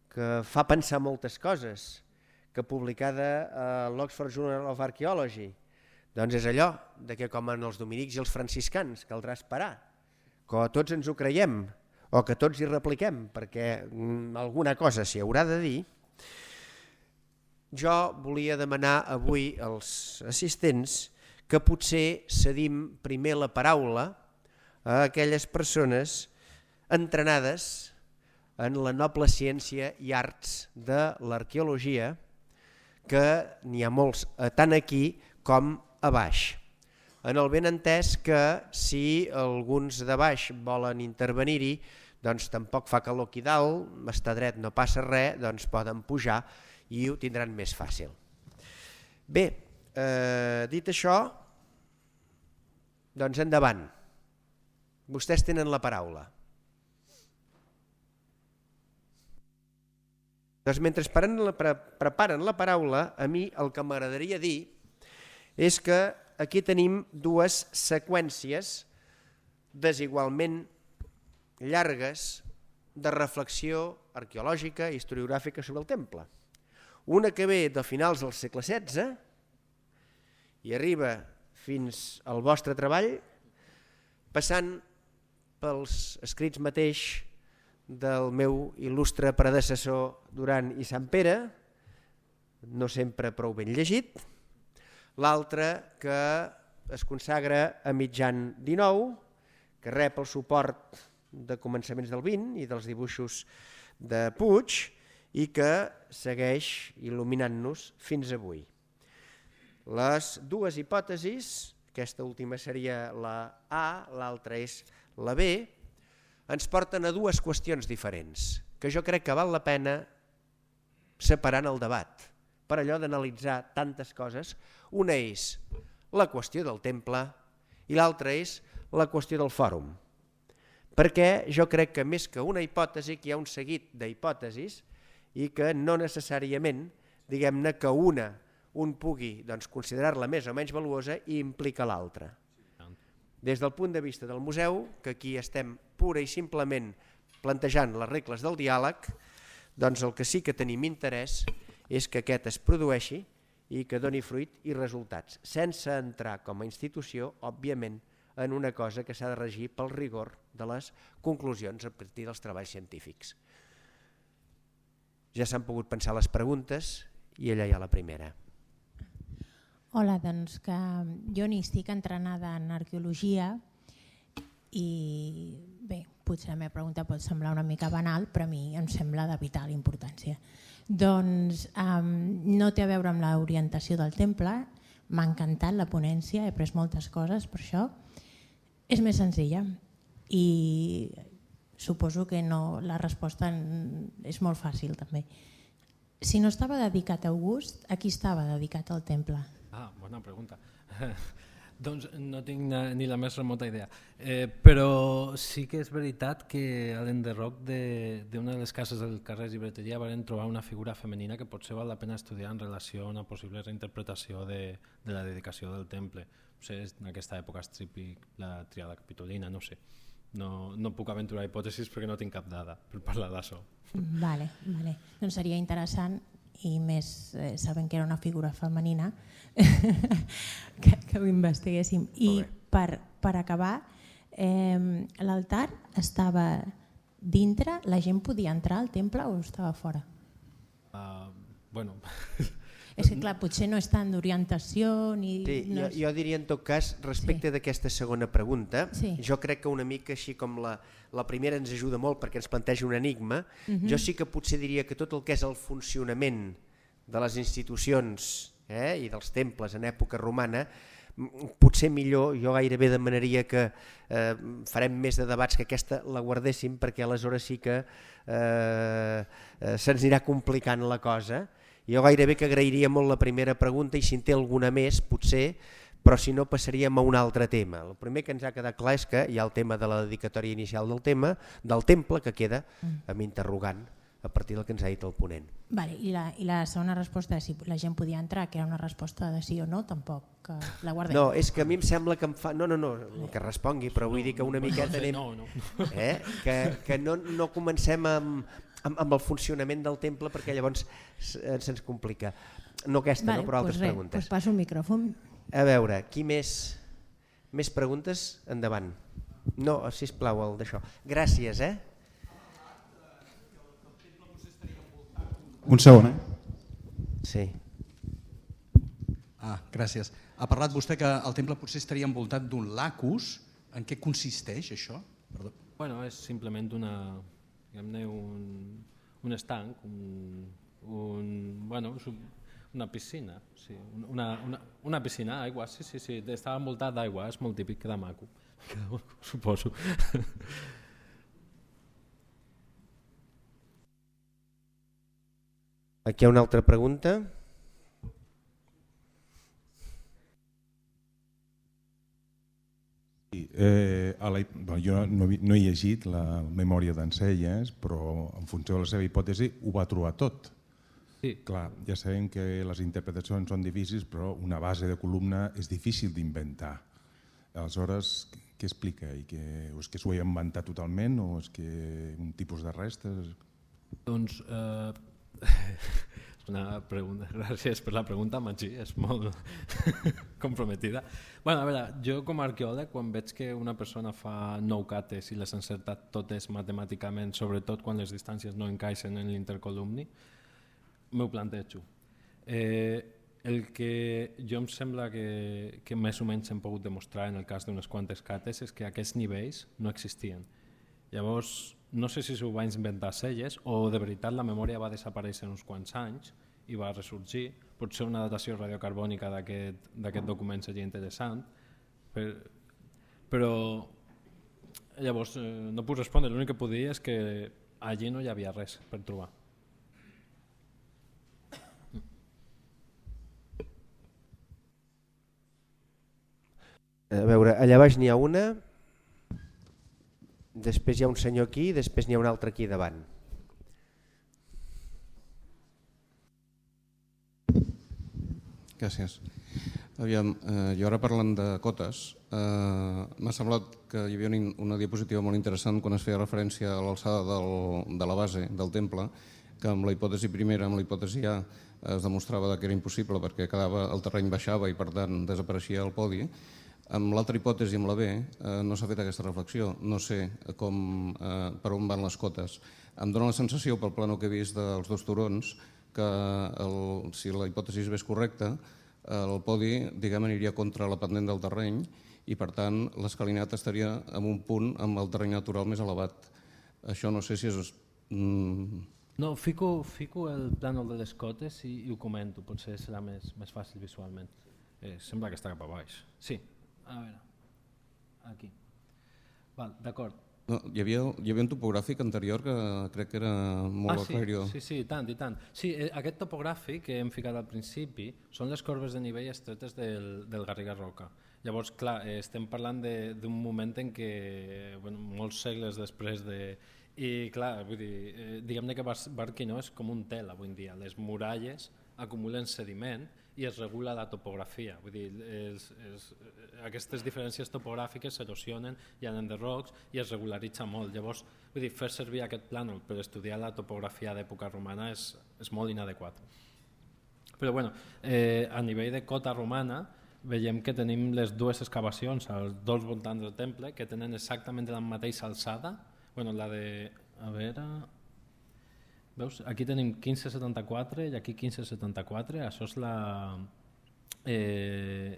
que fa pensar moltes coses, que publicada a l'Oxford Journal of Archaeology, és allò de que com en els dominics i els franciscans caldrà esperar, que tots ens ho creiem o que tots hi repliquem, perquè alguna cosa s'hi haurà de dir. Jo volia demanar avui als assistents que potser cedim primer la paraula a aquelles persones entrenades en la noble ciència i arts de l'arqueologia, que n'hi ha molts tant aquí com a baix. En el benentès que si alguns de baix volen intervenir-hi, doncs tampoc fa calor aquí dalt, està dret, no passa res, doncs poden pujar i ho tindran més fàcil. Bé, dit això, doncs endavant. Vostès tenen la paraula. Doncs mentre preparen la paraula, a mi el que m'agradaria dir és que aquí tenim dues seqüències desigualment llargues de reflexió arqueològica i historiogràfica sobre el temple. Una que ve de finals del segle XVI i arriba fins al vostre treball, passant pels escrits mateix del meu il·lustre predecessor Duran i Sant Pere, no sempre prou ben llegit, l'altre que es consagra a mitjan XIX, que rep el suport de començaments del XX i dels dibuixos de Puig i que segueix il·luminant-nos fins avui. Les dues hipòtesis, aquesta última seria la A, l'altra és la B, ens porten a dues qüestions diferents, que jo crec que val la pena separar en el debat, per allò d'analitzar tantes coses. Una és la qüestió del temple i l'altra és la qüestió del fòrum. perquè jo crec que més que una hipòtesi, que hi ha un seguit d'hipòtesis i que no necessàriament, diguem-ne, que un pugui considerar-la més o menys valuosa i implica l'altra. Des del punt de vista del museu, que aquí estem pura i simplement plantejant les regles del diàleg, doncs el que sí que tenim interès és que aquest es produeixi i que doni fruit i resultats, sense entrar com a institució, òbviament, en una cosa que s'ha de regir pel rigor de les conclusions a partir dels treballs científics. Ja s'han pogut pensar les preguntes i allà hi ha la primera. Hola, doncs que jo n'hi estic entrenada en arqueologia i bé, potser la meva pregunta pot semblar una mica banal, però a mi em sembla de vital importància. Doncs no té a veure amb l'orientació del temple, m'ha encantat la ponència, he pres moltes coses per això. És més senzilla i suposo que la resposta és molt fàcil també. Si no estava dedicat a August, a qui estava dedicat el temple? Bona pregunta. Doncs no tinc ni la més remota idea. Però sí que és veritat que a l'enderroc d'una de les cases del carrer Llibreteria van trobar una figura femenina que potser val la pena estudiar en relació a una possible reinterpretació de la dedicació del temple. Potser en aquesta època és típic la triada capitolina, no sé. No puc aventurar hipòtesis perquè no tinc cap dada per parlar d'això. Vale. Doncs seria interessant i més sabent que era una figura femenina que ho investiguéssim. I per acabar, l'altar estava dintre, la gent podia entrar al temple o estava fora? Bueno... És que clar, potser no és tant d'orientació ni... Jo diria en tot cas, respecte d'aquesta segona pregunta, jo crec que una mica així com la primera ens ajuda molt perquè ens planteja un enigma, jo sí que potser diria que tot el que és el funcionament de les institucions i dels temples en època romana, potser millor, jo gairebé demanaria que farem més de debats que aquesta la guardéssim perquè aleshores sí que se'ns anirà complicant la cosa. Jo gairebé que agrairia molt la primera pregunta i si en té alguna més potser, però si no passaríem a un altre tema. El primer que ens ha quedat clar és que hi ha el tema de la dedicatòria inicial del temple que queda amb interrogant a partir del que ens ha dit el ponent. I la segona resposta és si la gent podia entrar, que era una resposta de sí o no, tampoc la guardem. No, és que a mi em sembla que em fa... No, que respongui, però vull dir que una miqueta anem... Que no comencem amb el funcionament del temple perquè llavors se'ns complica. No aquesta, però altres preguntes. Doncs passo el micròfon. A veure, qui més preguntes? Endavant. No, sisplau, el d'això. Gràcies, Un segon, Sí. Gràcies. Ha parlat vostè que el temple potser estaria envoltat d'un lacus. En què consisteix això? Perdó. Bueno, és simplement un estanc, una piscina, sí, una piscina d'aigua, sí, estava envoltat d'aigua, és molt típic, queda maco, suposo. Aquí hi ha una altra pregunta. Jo no he llegit la memòria d'Encelles, però en funció de la seva hipòtesi ho va trobar tot. Clar, ja sabem que les interpretacions són difícils, però una base de columna és difícil d'inventar. Aleshores, què explica? És que s'ho ha inventat totalment o és que un tipus de restes? Doncs una pregunta, gràcies per la pregunta, Magí, és molt comprometida. A veure, jo com a arqueòleg, quan veig que una persona fa 9 cates i les ha encertat totes matemàticament, sobretot quan les distàncies no encaixen en l'intercolumni, m'ho plantejo. El que jo em sembla que més o menys hem pogut demostrar en el cas d'unes quantes cates és que aquests nivells no existien. Llavors, no sé si s'ho va inventar Selles o de veritat la memòria va desaparèixer uns quants anys i va ressorgir. Potser una datació radiocarbònica d'aquest document seria interessant, però llavors no puc respondre. L'únic que puc dir és que allí no hi havia res per trobar. A veure, allà baix n'hi ha una... Després hi ha un senyor aquí i després n'hi ha un altre aquí davant. Gràcies. Aviam, jo ara parlant de cotes, m'ha semblat que hi havia una diapositiva molt interessant quan es feia referència a l'alçada de la base del temple, que amb la hipòtesi primera, amb la hipòtesi A, es demostrava que era impossible perquè el terreny baixava i per tant desapareixia el podi. Amb l'altra hipòtesi, amb la B, no s'ha fet aquesta reflexió. No sé per on van les cotes. Em dóna la sensació, pel plano que he vist dels dos turons, que si la hipòtesi és correcta, el podi aniria contra la pendent del terreny i per tant l'escalinata estaria en un punt amb el terreny natural més elevat. Això no sé si és... No, fico el plànol de les cotes i ho comento, potser serà més fàcil visualment. Sembla que està cap a baix. Sí, a veure, aquí. D'acord. No, hi havia un topogràfic anterior que crec que era molt aclaridor. Sí, i tant. Sí, aquest topogràfic que hem ficat al principi són les corbes de nivell estretes del Garriga-Roca. Llavors, clar, estem parlant d'un moment en què, molts segles després de... I clar, vull dir, diguem-ne que Barquino és com un tel avui en dia. Les muralles acumulen sediment i es regula la topografia. Vull dir, aquestes diferències topogràfiques s'erosionen i han enderrocs i es regularitza molt. Llavors, vull dir, fer servir aquest plànol per estudiar la topografia d'època romana és molt inadequat. Però bueno, a nivell de cota romana veiem que tenim les dues excavacions als dos voltants del temple que tenen exactament la mateixa alçada. La de... A veure... Veus? Aquí tenim 1574 i aquí 1574. Això és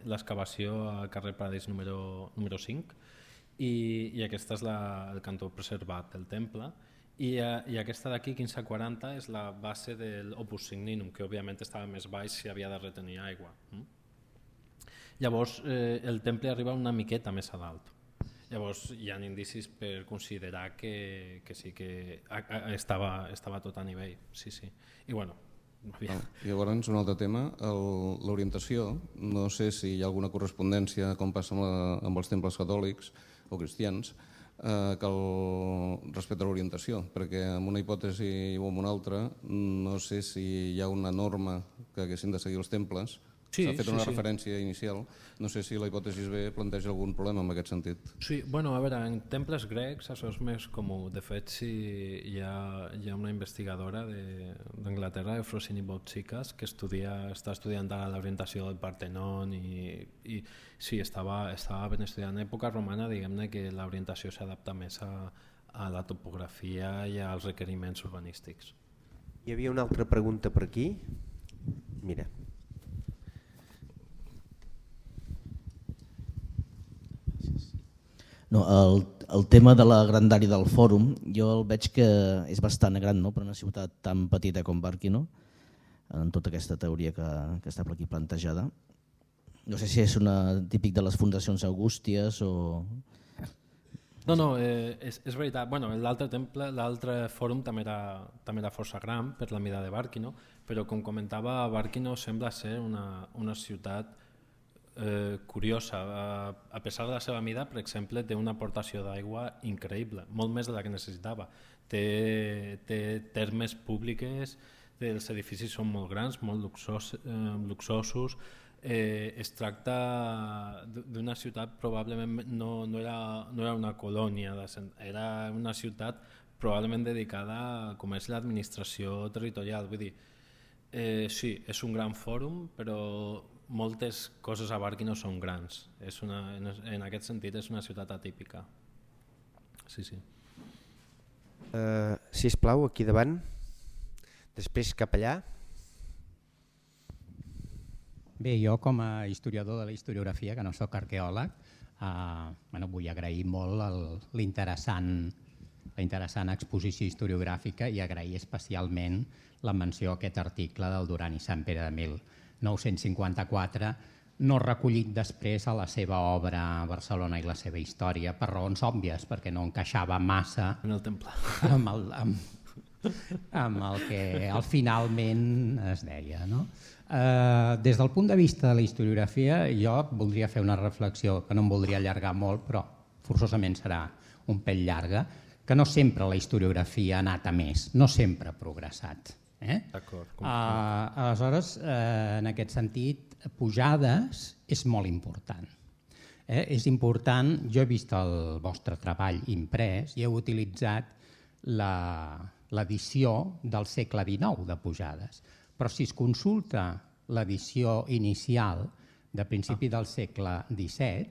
l'excavació al carrer Paradís número 5 i aquesta és el cantó preservat del temple i aquesta d'aquí, 1540, és la base del Opus Signinum, que òbviament estava més baix si havia de retenir aigua. Llavors el temple arriba una miqueta més a dalt. Llavors hi ha indicis per considerar que sí que estava tot a nivell. Sí. I bueno, llavors un altre tema, l'orientació. No sé si hi ha alguna correspondència, com passa amb els temples catòlics o cristians, respecte a l'orientació, perquè amb una hipòtesi o amb una altra no sé si hi ha una norma que haguessin de seguir els temples. S'ha fet una referència inicial. No sé si la hipòtesi B planteja algun problema en aquest sentit. Sí, a veure, en temples grecs això és més comú. De fet, hi ha una investigadora d'Anglaterra, Efrosini Boutsikas, que està estudiant l'orientació del Partenon i sí, estava ben estudiant. En època romana, diguem-ne que l'orientació s'adapta més a la topografia i als requeriments urbanístics. Hi havia una altra pregunta per aquí. Mira. No, el tema de la grandària del fòrum, jo el veig que és bastant gran, no? Per una ciutat tan petita com Barquino, en tota aquesta teoria que està per aquí plantejada. No sé si és típic de les fundacions augústies o... No, és veritat. L'altre fòrum també era força gran per la mida de Barquino, però com comentava, Barquino sembla ser una ciutat curiosa. A pesar de la seva mida, per exemple, té una aportació d'aigua increïble, molt més de la que necessitava. Té termes públiques, els edificis són molt grans, molt luxosos. Es tracta d'una ciutat, probablement no era una colònia, era una ciutat probablement dedicada a comerç i l'administració territorial. Vull dir, sí, és un gran fòrum, però moltes coses a Barquino són grans. En aquest sentit és una ciutat atípica. Sí. Sisplau, aquí davant. Després cap allà. Bé, jo com a historiador de la historiografia, que no sóc arqueòleg, vull agrair molt la interessant exposició historiogràfica i agrair especialment la menció a aquest article del Duran i Sant Pere de 1954, no recollit després a la seva obra Barcelona i la seva història, per raons òbvies, perquè no encaixava massa en el temple amb el que finalment es deia. Des del punt de vista de la historiografia, jo voldria fer una reflexió que no em voldria allargar molt, però forçosament serà un pèl llarga, que no sempre la historiografia ha anat a més, no sempre ha progressat. D'acord. Aleshores, en aquest sentit, Pujades és molt important. És important, jo he vist el vostre treball imprès i heu utilitzat l'edició del segle XIX de Pujades, però si es consulta l'edició inicial de principi del segle XVII,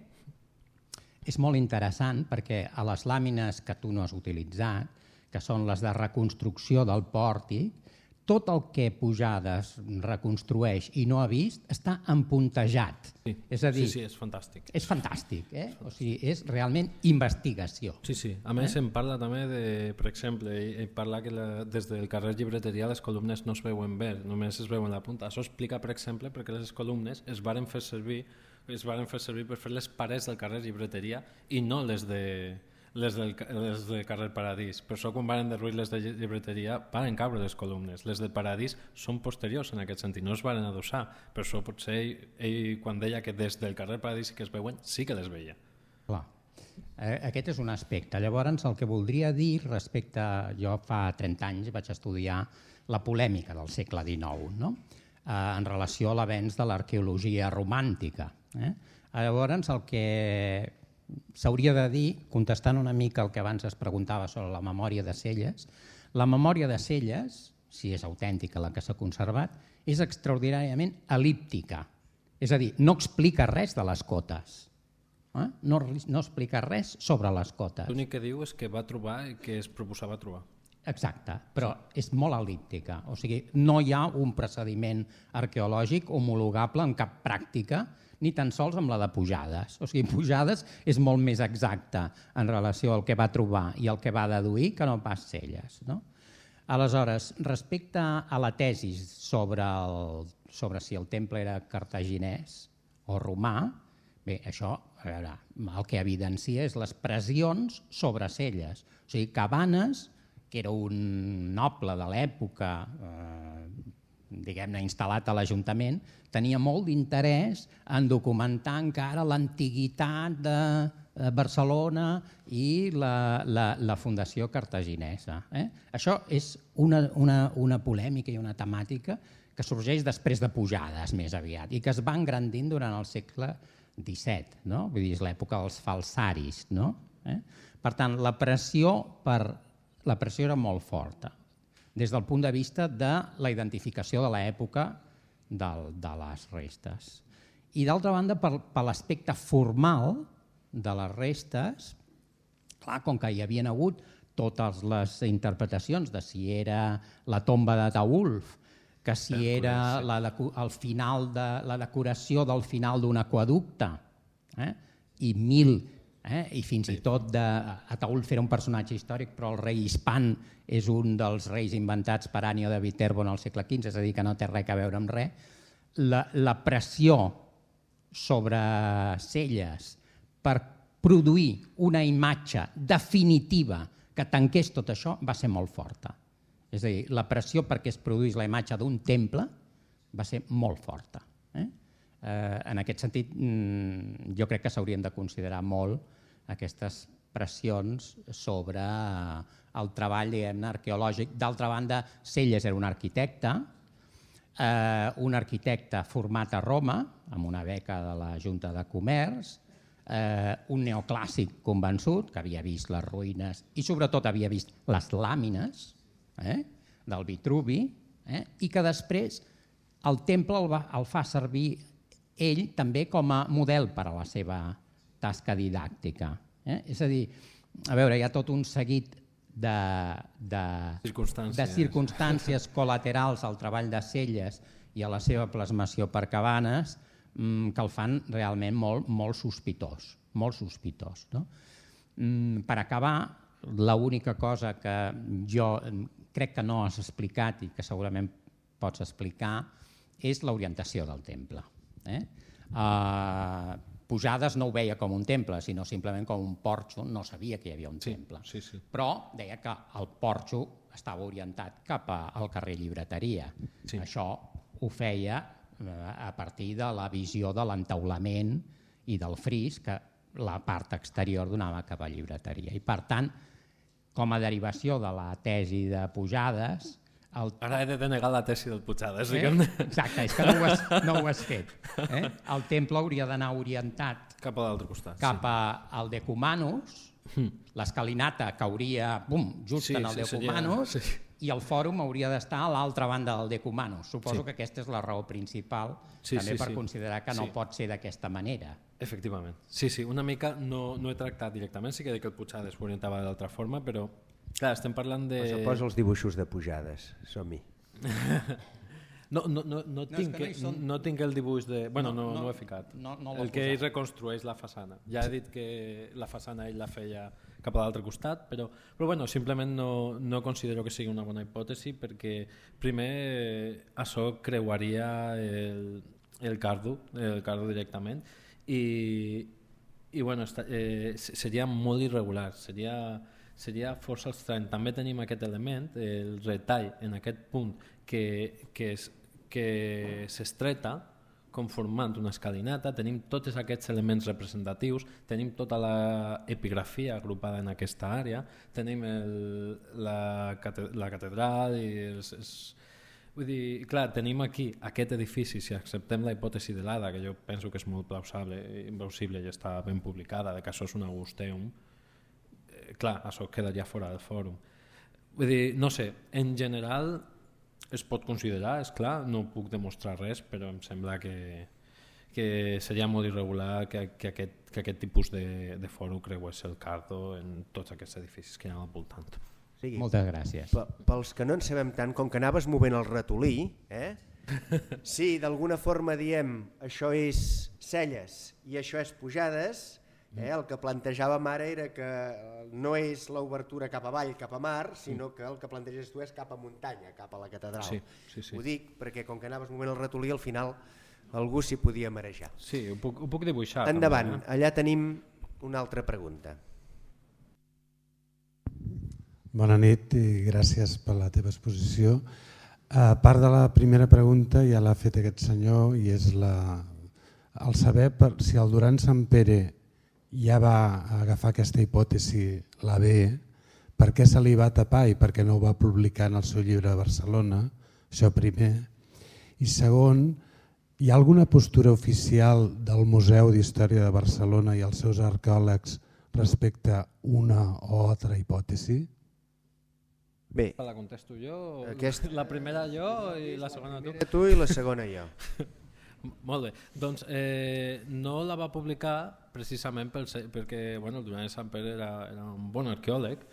és molt interessant perquè a les làmines que tu no has utilitzat, que són les de reconstrucció del pòrtic, tot el que Pujades reconstrueix i no ha vist està empuntejat. És a dir, sí, és fantàstic. És fantàstic, O sigui, és realment investigació. Sí. A més, em parla també de, per exemple, ell parla que des del carrer Llibreteria les columnes no es veuen bé, només es veuen la punta. Això explica, per exemple, perquè les columnes es varen fer servir per fer les parets del carrer Llibreteria i no les del carrer Paradís. Per això quan van derruir les de Llibreteria van caure les columnes. Les del Paradís són posteriors en aquest sentit, no es van adossar. Per això potser ell quan deia que des del carrer Paradís que es veuen, sí que les veia. Clar. Aquest és un aspecte. Llavors, el que voldria dir respecte... Jo fa 30 anys vaig estudiar la polèmica del segle XIX, no? En relació a l'avenç de l'arqueologia romàntica. Llavors, el que s'hauria de dir, contestant una mica el que abans es preguntava sobre la memòria de Celles, la memòria de Celles, si és autèntica la que s'ha conservat, és extraordinàriament el·líptica. És a dir, no explica res de les cotes. No explica res sobre les cotes. L'únic que diu és que va trobar i que es proposava trobar. Exacte, però és molt el·líptica. O sigui, no hi ha un procediment arqueològic homologable en cap pràctica, ni tan sols amb la de Pujades. O sigui, Pujades és molt més exacta en relació al que va trobar i el que va deduir que no pas Celles. Aleshores, respecte a la tesi sobre si el temple era cartaginès o romà, bé, això el que evidencia és les pressions sobre Celles. O sigui, Cabanes, que era un noble de l'època, diguem-ne, instal·lat a l'Ajuntament, tenia molt d'interès en documentar encara l'antiguitat de Barcelona i la fundació cartaginesa. Això és una polèmica i una temàtica que sorgeix després de Pujades més aviat i que es va engrandint durant el segle XVII, vull dir, és l'època dels falsaris. Per tant, la pressió era molt forta des del punt de vista de la identificació de l'època de les restes. I d'altra banda, per l'aspecte formal de les restes, clar, com que hi havien hagut totes les interpretacions de si era la tomba d'Ataülf, que si era la decoració del final d'un aqüeducte, i fins i tot Ataülf era un personatge històric, però el rei Hispan és un dels reis inventats per Ànio de Viterbo en el segle XV, és a dir, que no té res a veure amb res. La pressió sobre Celles per produir una imatge definitiva que tanqués tot això va ser molt forta. És a dir, la pressió perquè es produís la imatge d'un temple va ser molt forta. En aquest sentit, jo crec que s'haurien de considerar molt aquestes pressions sobre el treball arqueològic. D'altra banda, Celles era un arquitecte format a Roma, amb una beca de la Junta de Comerç, un neoclàssic convençut, que havia vist les ruïnes i sobretot havia vist les làmines del Vitruvi, i que després el temple el fa servir ell també com a model per a la seva tasca didàctica. És a dir, a veure, hi ha tot un seguit de circumstàncies col·laterals al treball de Celles i a la seva plasmació per Cabanes que el fan realment molt sospitós. Per acabar, l'única cosa que jo crec que no has explicat i que segurament pots explicar és l'orientació del temple. Pujades no ho veia com un temple, sinó simplement com un porxo, no sabia que hi havia un temple. Però deia que el porxo estava orientat cap al carrer Llibreteria. Això ho feia a partir de la visió de l'entaulament i del fris, que la part exterior donava cap a llibreteria. I per tant, com a derivació de la tesi de Pujades... Ara he de denegar la tesi del Pujades. Exacte, és que no ho has fet. El temple hauria d'anar orientat cap a l'altre costat, cap al Decumanus, l'escalinata cauria just en el Decumanus, i el fòrum hauria d'estar a l'altra banda del Decumanus. Suposo que aquesta és la raó principal, també per considerar que no pot ser d'aquesta manera. Efectivament. Sí, una mica no he tractat directament, sí que he dit que el Pujades s'orientava d'altra forma, però clar, estem parlant de... Posa els dibuixos de Pujades, som-hi. No tinc el dibuix de... Bueno, no ho he ficat. El que ell reconstrueix la façana. Ja he dit que la façana ell la feia cap a l'altre costat, però bueno, simplement no considero que sigui una bona hipòtesi perquè primer això creuaria el cardo directament i bueno, seria molt irregular, seria força estrany. També tenim aquest element, el retall en aquest punt que s'estreta conformant una escalinata, tenim tots aquests elements representatius, tenim tota l'epigrafia agrupada en aquesta àrea, tenim la catedral i vull dir, clar, tenim aquí aquest edifici, si acceptem la hipòtesi de l'Ada, que jo penso que és molt plausible i està ben publicada, de que això és un Augusteum, clar, això quedaria fora del fòrum. Vull dir, no sé, en general es pot considerar, és clar, no puc demostrar res, però em sembla que seria molt irregular que aquest tipus de fòrum creués el cardo en tots aquests edificis que hi ha al voltant. Moltes gràcies. Pels que no en sabem tant, com que anaves movent el ratolí, si d'alguna forma diem això és Celles i això és Pujades, el que plantejàvem ara era que no és l'obertura cap avall, cap a mar, sinó que el que planteges tu és cap a muntanya, cap a la catedral. Sí. Ho dic perquè com que anaves movent el ratolí, al final algú s'hi podia marejar. Sí, ho puc dibuixar. Endavant, allà tenim una altra pregunta. Bona nit i gràcies per la teva exposició. A part de la primera pregunta ja l'ha fet aquest senyor i és el saber si el Duran Sampere ja va agafar aquesta hipòtesi, la B, per què se li va tapar i per què no ho va publicar en el seu llibre de Barcelona, això primer. I segon, hi ha alguna postura oficial del Museu d'Història de Barcelona i els seus arqueòlegs respecte a una o altra hipòtesi? Bé. La contesto jo, la primera jo i la segona tu. La primera tu i la segona jo. Molt bé, doncs no la va publicar precisament perquè el Duran Sampere era un bon arqueòleg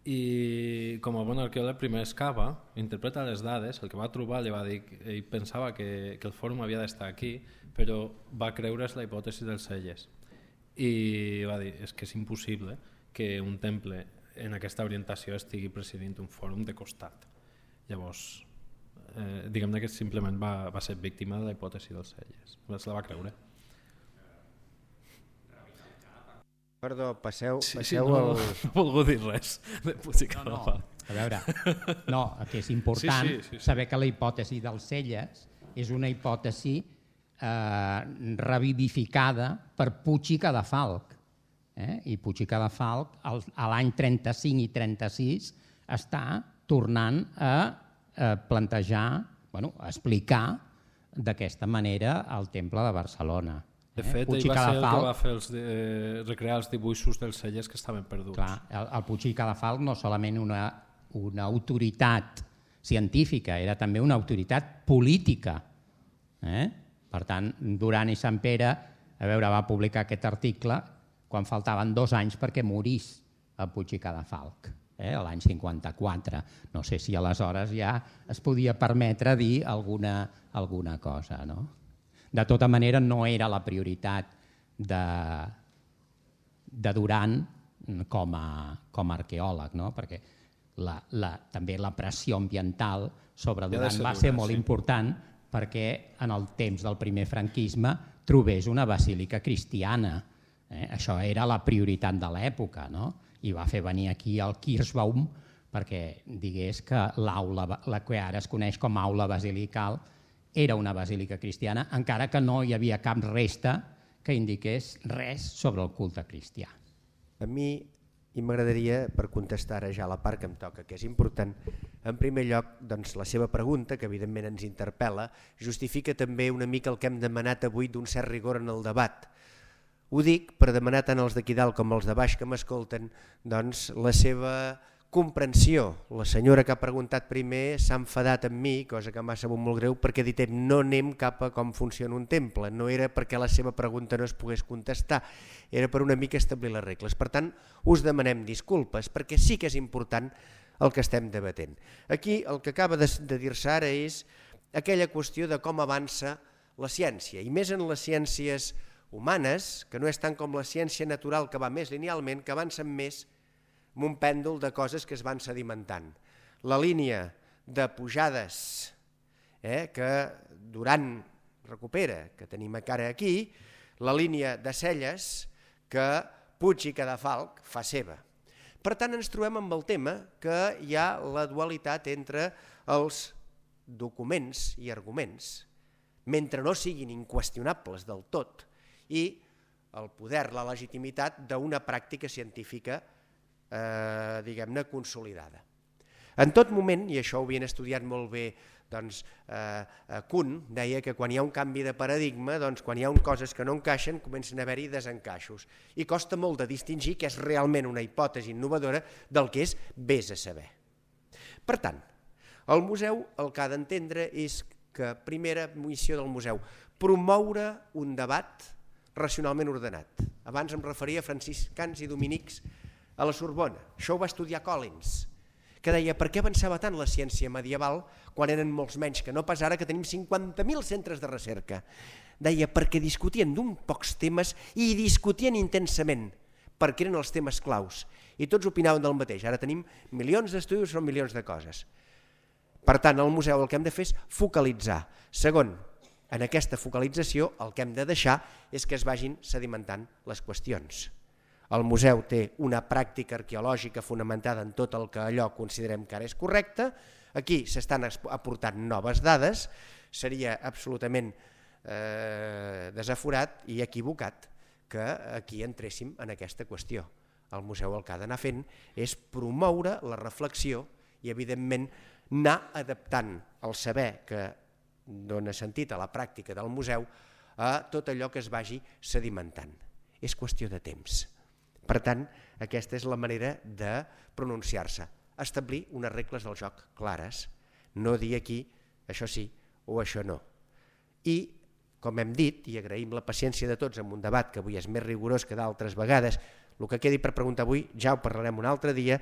i com a bon arqueòleg primer excava, interpreta les dades, el que va trobar li va dir que ell pensava que el fòrum havia d'estar aquí, però va creure's la hipòtesi dels Celles i va dir és que és impossible que un temple en aquesta orientació estigui presidint un fòrum de costat. Llavors diguem-ne que simplement va ser víctima de la hipòtesi dels Celles, se la va creure. Perdó, passeu no he volgut dir res de Puig i Cadafalch. A veure, que és important saber que la hipòtesi dels Celles és una hipòtesi revivificada per Puig i Cadafalch. I Puig i Cadafalch a l'any 35 i 36 està tornant a plantejar, a explicar d'aquesta manera el temple de Barcelona. De fet, ell va ser el que va fer recrear els dibuixos dels Celles que estaven perduts. Clar, el Puig i Cadafalch no solament una autoritat científica, era també una autoritat política. Per tant, Duran i Sampere va publicar aquest article quan faltaven 2 anys perquè morís el Puig i Cadafalch, l'any 54. No sé si aleshores ja es podia permetre dir alguna cosa, no? De tota manera, no era la prioritat de Duran com a arqueòleg, perquè també la pressió ambiental sobre Duran va ser molt important perquè en el temps del primer franquisme trobés una basílica cristiana. Això era la prioritat de l'època, i va fer venir aquí el Kirschbaum perquè digués que l'aula, la que ara es coneix com a aula basilical, era una basílica cristiana, encara que no hi havia cap resta que indiqués res sobre el culte cristià. A mi i m'agradaria, per contestar ara ja la part que em toca, que és important, en primer lloc, doncs, la seva pregunta, que evidentment ens interpel·la, justifica també una mica el que hem demanat avui d'un cert rigor en el debat. Ho dic per demanar tant als d'aquí dalt com als de baix que m'escolten doncs, la seva comprensió. La senyora que ha preguntat primer s'ha enfadat amb mi, cosa que m'ha sabut molt greu, perquè ha dit no anem cap a com funciona un temple. No era perquè la seva pregunta no es pogués contestar, era per una mica establir les regles. Per tant, us demanem disculpes, perquè sí que és important el que estem debatent. Aquí el que acaba de dir-se ara és aquella qüestió de com avança la ciència, i més en les ciències humanes, que no és tant com la ciència natural que va més linealment, que avancen més amb un pèndol de coses que es van sedimentant. La línia de pujades que Duran recupera, que tenim encara aquí, la línia de Celles que Puig i Cadafalch fa seva. Per tant, ens trobem amb el tema que hi ha la dualitat entre els documents i arguments, mentre no siguin inqüestionables del tot, i el poder, la legitimitat d'una pràctica científica diguem-ne consolidada. En tot moment, i això ho havien estudiat molt bé doncs, Kuhn, deia que quan hi ha un canvi de paradigma, doncs, quan hi ha coses que no encaixen, comencen a haver-hi desencaixos. I costa molt de distingir què és realment una hipòtesi innovadora del que és vés a saber. Per tant, el museu el que ha d'entendre és que primera missió del museu, promoure un debat racionalment ordenat. Abans em referia a franciscans i dominics a la Sorbona. Això ho va estudiar Collins, que deia per què avançava tant la ciència medieval quan eren molts menys que no pas ara que tenim 50.000 centres de recerca. Deia perquè discutien d'un pocs temes i discutien intensament perquè eren els temes claus i tots opinaven del mateix. Ara tenim milions d'estudis, són milions de coses. Per tant, al museu el que hem de fer és focalitzar. Segon, en aquesta focalització el que hem de deixar és que es vagin sedimentant les qüestions. El museu té una pràctica arqueològica fonamentada en tot el que allò considerem que ara és correcte. Aquí s'estan aportant noves dades. Seria absolutament desaforat i equivocat que aquí entréssim en aquesta qüestió. El museu el que ha d'anar fent és promoure la reflexió i, evidentment, anar adaptant el saber que dona sentit a la pràctica del museu a tot allò que es vagi sedimentant. És qüestió de temps. Per tant, aquesta és la manera de pronunciar-se, establir unes regles del joc clares, no dir aquí això sí o això no. I, com hem dit, i agraïm la paciència de tots en un debat que avui és més rigorós que d'altres vegades, el que quedi per preguntar avui ja ho parlarem un altre dia,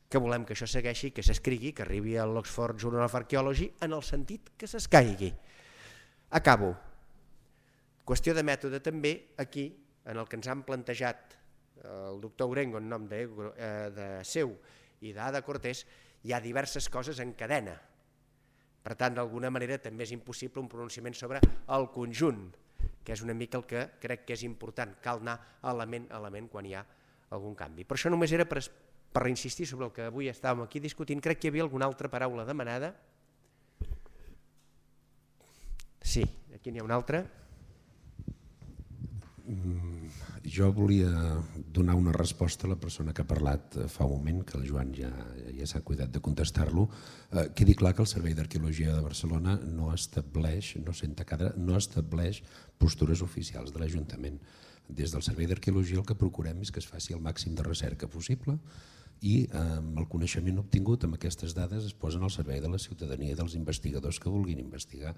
que volem que això segueixi, que s'escrigui, que arribi a l'Oxford Journal of Archaeology en el sentit que s'escaigui. Acabo. Qüestió de mètode també aquí, en el que ens han plantejat el doctor Urengo en nom de seu i d'Ada Cortés, hi ha diverses coses en cadena. Per tant, d'alguna manera també és impossible un pronunciament sobre el conjunt, que és una mica el que crec que és important. Cal anar element a element quan hi ha algun canvi. Per això només era per reinsistir sobre el que avui estàvem aquí discutint. Crec que hi havia alguna altra paraula demanada. Sí, aquí n'hi ha una altra. Jo volia donar una resposta a la persona que ha parlat fa un moment, que el Joan ja s'ha cuidat de contestar-lo. Quedi clar que el Servei d'Arqueologia de Barcelona no estableix postures oficials de l'Ajuntament. Des del Servei d'Arqueologia el que procurem és que es faci el màxim de recerca possible i el coneixement obtingut amb aquestes dades es posen al servei de la ciutadania i dels investigadors que vulguin investigar.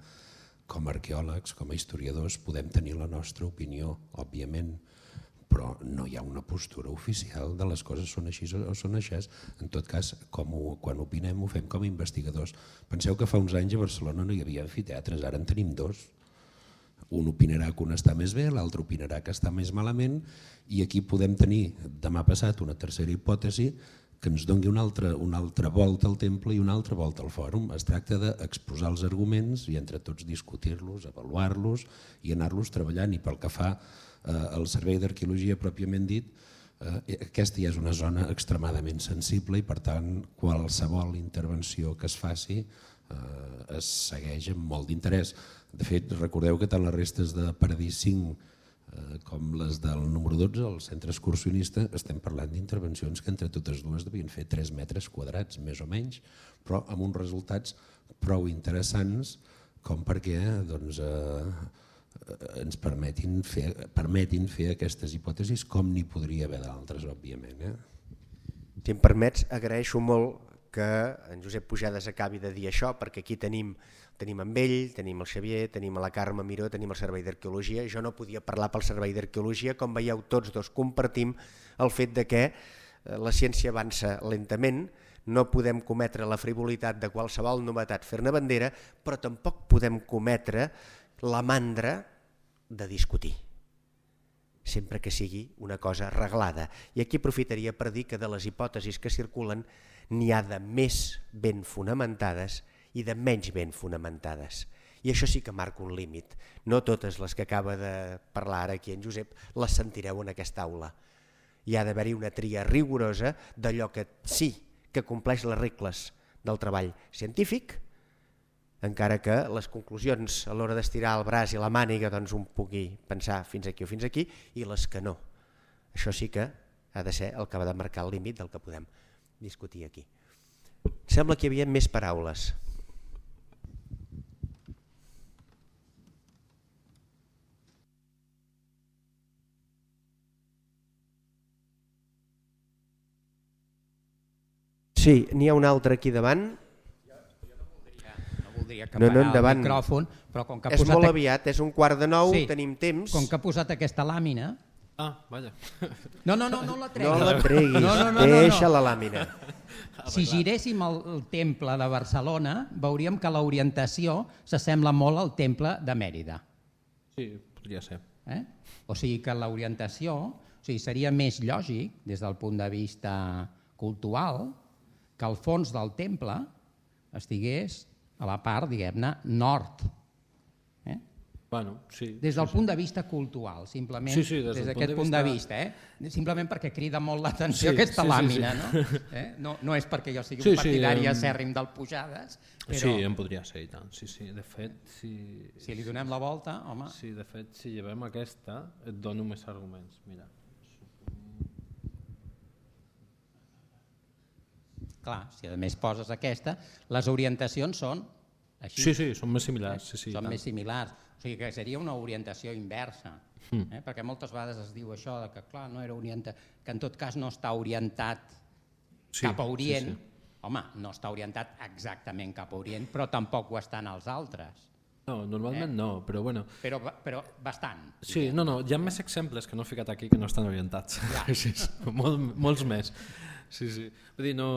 Com a arqueòlegs, com a historiadors, podem tenir la nostra opinió, òbviament, però no hi ha una postura oficial de les coses són així o són així. En tot cas, quan opinem ho fem com a investigadors. Penseu que fa uns anys a Barcelona no hi havia amfiteatres, ara en tenim dos. Un opinarà que un està més bé, l'altre opinarà que està més malament i aquí podem tenir demà passat una tercera hipòtesi que ens doni una altra volta al temple i una altra volta al fòrum. Es tracta d'exposar els arguments i entre tots discutir-los, avaluar-los i anar-los treballant. I pel que fa al Servei d'Arqueologia pròpiament dit, aquesta ja és una zona extremadament sensible i per tant qualsevol intervenció que es faci es segueix amb molt d'interès. De fet, recordeu que tant les restes de Paradís V com les del número 12, el centre excursionista, estem parlant d'intervencions que entre totes dues devien fer 3 metres quadrats, més o menys, però amb uns resultats prou interessants com perquè ens permetin fer aquestes hipòtesis, com n'hi podria haver d'altres, òbviament. Si em permets, agraeixo molt que en Josep Pujades acabi de dir això, perquè aquí tenim amb ell, tenim el Xavier, tenim la Carme Miró, tenim el Servei d'Arqueologia. Jo no podia parlar pel Servei d'Arqueologia, com veieu tots dos compartim el fet de que la ciència avança lentament, no podem cometre la frivolitat de qualsevol novetat fer-ne bandera, però tampoc podem cometre la mandra de discutir, sempre que sigui una cosa reglada. I aquí aprofitaria per dir que de les hipòtesis que circulen n'hi ha de més ben fonamentades i de menys ben fonamentades. I això sí que marca un límit. No totes les que acaba de parlar ara aquí en Josep les sentireu en aquesta aula. Hi ha d'haver-hi una tria rigorosa d'allò que sí que compleix les regles del treball científic, encara que les conclusions a l'hora d'estirar el braç i la màniga doncs un pugui pensar fins aquí o fins aquí, i les que no. Això sí que ha de ser el que va de marcar el límit del que podem discutir aquí. Sembla que hi havia més paraules. Sí, n'hi ha un altre aquí davant. No voldria acaparar el micròfon, però com que ha posat... És molt aviat, és 8:45, tenim temps. Com que ha posat aquesta làmina... Ah, vaja. No la treguis. No la treguis, deixa la làmina. Si giréssim el temple de Barcelona, veuríem que l'orientació s'assembla molt al temple de Mèrida. Sí, podria ser. O sigui que l'orientació seria més lògic, des del punt de vista cultural, que el fons del temple estigués a la part, diguem-ne, nord. Bueno, sí. Des del punt de vista cultural, simplement des d'aquest punt de vista. Simplement perquè crida molt l'atenció aquesta làmina. No és perquè jo sigui un partidari acèrrim del Pujades. Sí, en podria ser i tant. De fet, si li donem la volta, home... Sí, de fet, si llevem aquesta, et dono més arguments. Mira. Clar, si a més poses aquesta, les orientacions són així. Sí, són més similars. Són més similars. O sigui que seria una orientació inversa, perquè moltes vegades es diu això que clar, no era orientat, que en tot cas no està orientat cap a Orient. Home, no està orientat exactament cap a Orient, però tampoc ho estan els altres. No, normalment no, però bueno. Però bastant. Sí, no, hi ha més exemples que no he ficat aquí que no estan orientats. Molts més. Sí. Vull dir, no...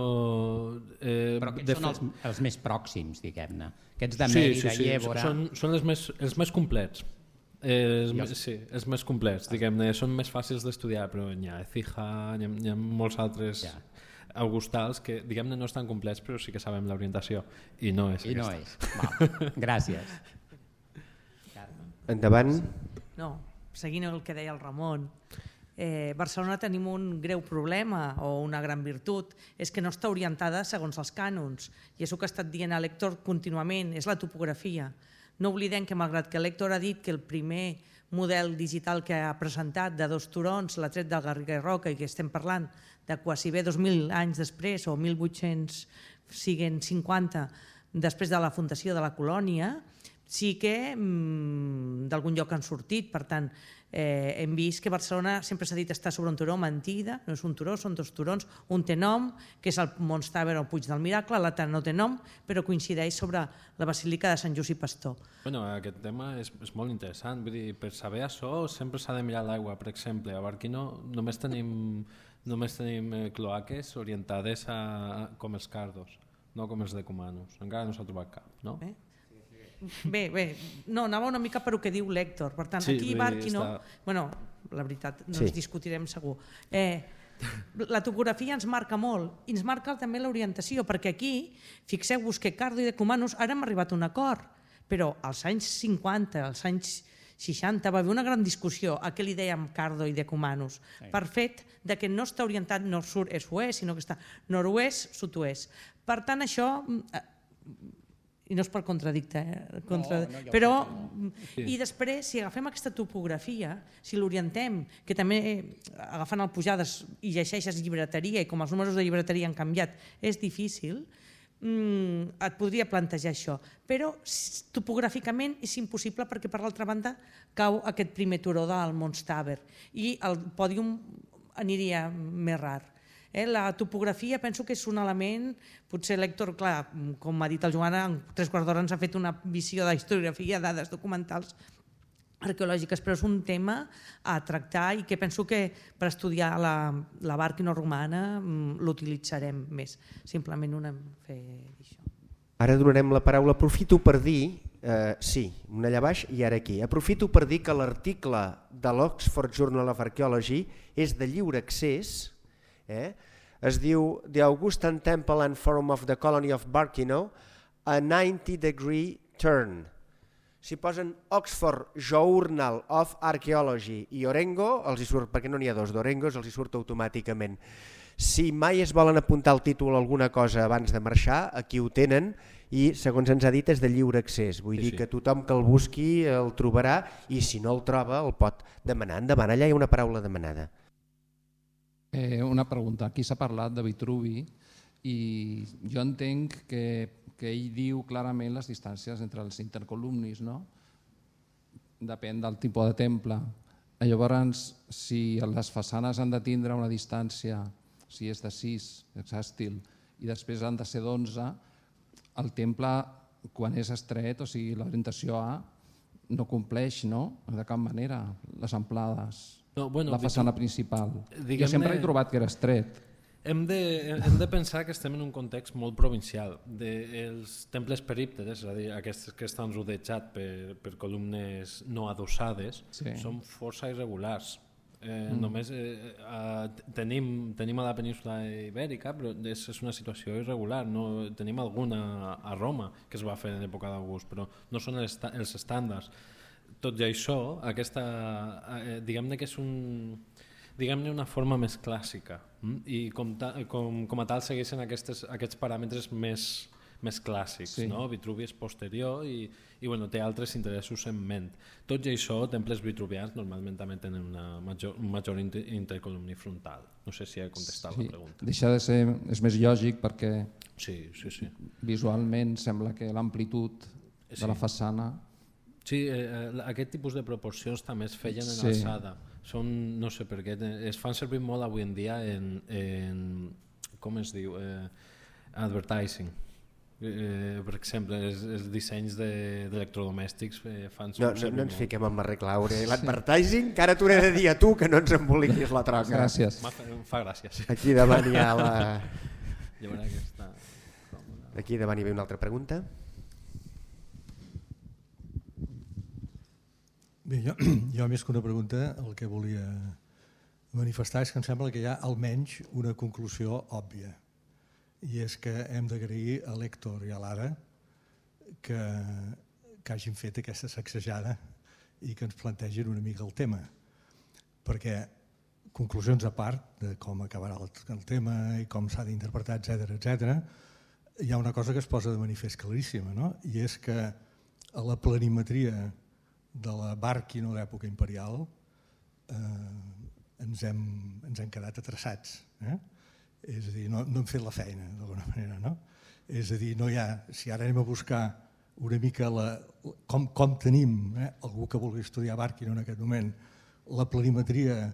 Però aquests són els més pròxims, diguem-ne. Aquests de Mèrida i Évora... Són els més complets. Els més complets, diguem-ne. Són més fàcils d'estudiar, però n'hi ha Écija, n'hi ha molts altres augustals que, diguem-ne, no estan complets, però sí que sabem l'orientació. I no és aquesta. Gràcies. Endavant. No, seguint el que deia el Ramon... Barcelona tenim un greu problema o una gran virtut, és que no està orientada segons els cànons, i és el que ha estat dient l'Héctor contínuament, és la topografia. No oblidem que malgrat que l'Héctor ha dit que el primer model digital que ha presentat de 2 turons l'ha tret del Garriga i Roca, i que estem parlant de quasi bé 2.000 anys després, o 1.800 siguen 50 després de la fundació de la colònia, sí que d'algun lloc han sortit. Per tant, hem vist que Barcelona sempre s'ha dit està sobre un turó, mentida, no és un turó, són 2 turons, un té nom, que és el Mons Tàver o Puig del Miracle, l'altre no té nom, però coincideix sobre la Basílica de Sant Just i Pastor. Bueno, aquest tema és molt interessant, vull dir, per saber això sempre s'ha de mirar l'aigua. Per exemple, a Barquino només tenim cloaques orientades com els Cardos, no com els de Cumanos. Encara no s'ha trobat cap, no? Bé, no, anava una mica per el que diu l'Héctor. Per tant, aquí Barquino... Bueno, la veritat, no ens discutirem segur. La topografia ens marca molt, i ens marca també l'orientació, perquè aquí, fixeu-vos que Cardo i de Cumanos ara hem arribat a un acord, però als anys 50, als anys 60, va haver una gran discussió a què li dèiem Cardo i de Cumanos, per fet de que no està orientat nord-sud est-oest, sinó que està nord-oest, sud-oest. Per tant, això i no és per contradicte, però i després, si agafem aquesta topografia, si l'orientem, que també agafant el Pujades i llegeixes llibreteria i com els números de llibreteria han canviat, és difícil, et podria plantejar això, però topogràficament és impossible perquè per l'altra banda cau aquest primer turó del Monstabber i el pòdium aniria més rar. La topografia penso que és un element, potser l'Héctor, clar, com ha dit el Joan, en 3/4 d'hora ens ha fet una visió de historiografia, dades documentals arqueològiques, però és un tema a tractar i que penso que per estudiar la Bàrquina romana l'utilitzarem més. Simplement fer això. Ara donarem la paraula. Aprofito per dir, sí, una allà baix i ara aquí, aprofito per dir que l'article de l'Oxford Journal of Archaeology és de lliure accés, es diu The Augustan Temple and Forum of the Colony of Barkino, a 90-degree turn. Si posen Oxford Journal of Archaeology i Orengo, els hi surt, perquè no n'hi ha dos d'Orengos, els hi surt automàticament. Si mai es volen apuntar el títol a alguna cosa abans de marxar, aquí ho tenen i, segons ens ha dit, és de lliure accés. Vull dir que tothom que el busqui el trobarà i si no el troba el pot demanar. Endavant, allà hi ha una paraula demanada. Una pregunta. Aquí s'ha parlat de Vitruvi i jo entenc que ell diu clarament les distàncies entre els intercolumnis, no? Depèn del tipus de temple. Llavors, si les façanes han de tindre una distància, si és de 6, hexàstil, i després han de ser d'11, el temple, quan és estret, o sigui, l'orientació A, no compleix, no? De cap manera, les amplades. La façana principal. Jo sempre he trobat que era estret. Hem de pensar que estem en un context molt provincial. Els temples perípteres, és a dir, aquests que estan rodejats per columnes no adossades, són força irregulars. Només tenim a la península ibèrica, però és una situació irregular. Tenim alguna a Roma que es va fer en època d'August, però no són els estàndards. Tot i això, diguem-ne que és una forma més clàssica i com a tal segueixen aquests paràmetres més clàssics. Vitruvi és posterior i té altres interessos en ment. Tot i això, temples vitruvians normalment també tenen un major intercolumni frontal. No sé si he contestat la pregunta. Deixa de ser, és més lògic perquè visualment sembla que l'amplitud de la façana... Sí, aquest tipus de proporcions també es feien en alçada. No sé per què, es fan servir molt avui en dia en com es diu, advertising. Per exemple, els dissenys d'electrodomèstics fan servir molt. No ens fiquem amb la regla Aure. L'advertising, que ara t'ho he de dir a tu, que no ens emboliquis la troca. Gràcies. Fa gràcies. Aquí davant hi ha la... Aquí davant hi ve una altra pregunta. Bé, jo més que una pregunta el que volia manifestar és que em sembla que hi ha almenys una conclusió òbvia i és que hem d'agrair a l'Héctor i a l'Ada que hagin fet aquesta sacsejada i que ens plantegin una mica el tema, perquè conclusions a part de com acabarà el tema i com s'ha d'interpretar, etc., hi ha una cosa que es posa de manifest claríssima, no? I és que a la planimetria de la Bàrquina d'època imperial ens hem quedat atreçats. És a dir, no hem fet la feina d'alguna manera. No? És a dir, no hi ha, si ara anem a buscar una mica com tenim, algú que vulgui estudiar Bàrquina en aquest moment, la planimetria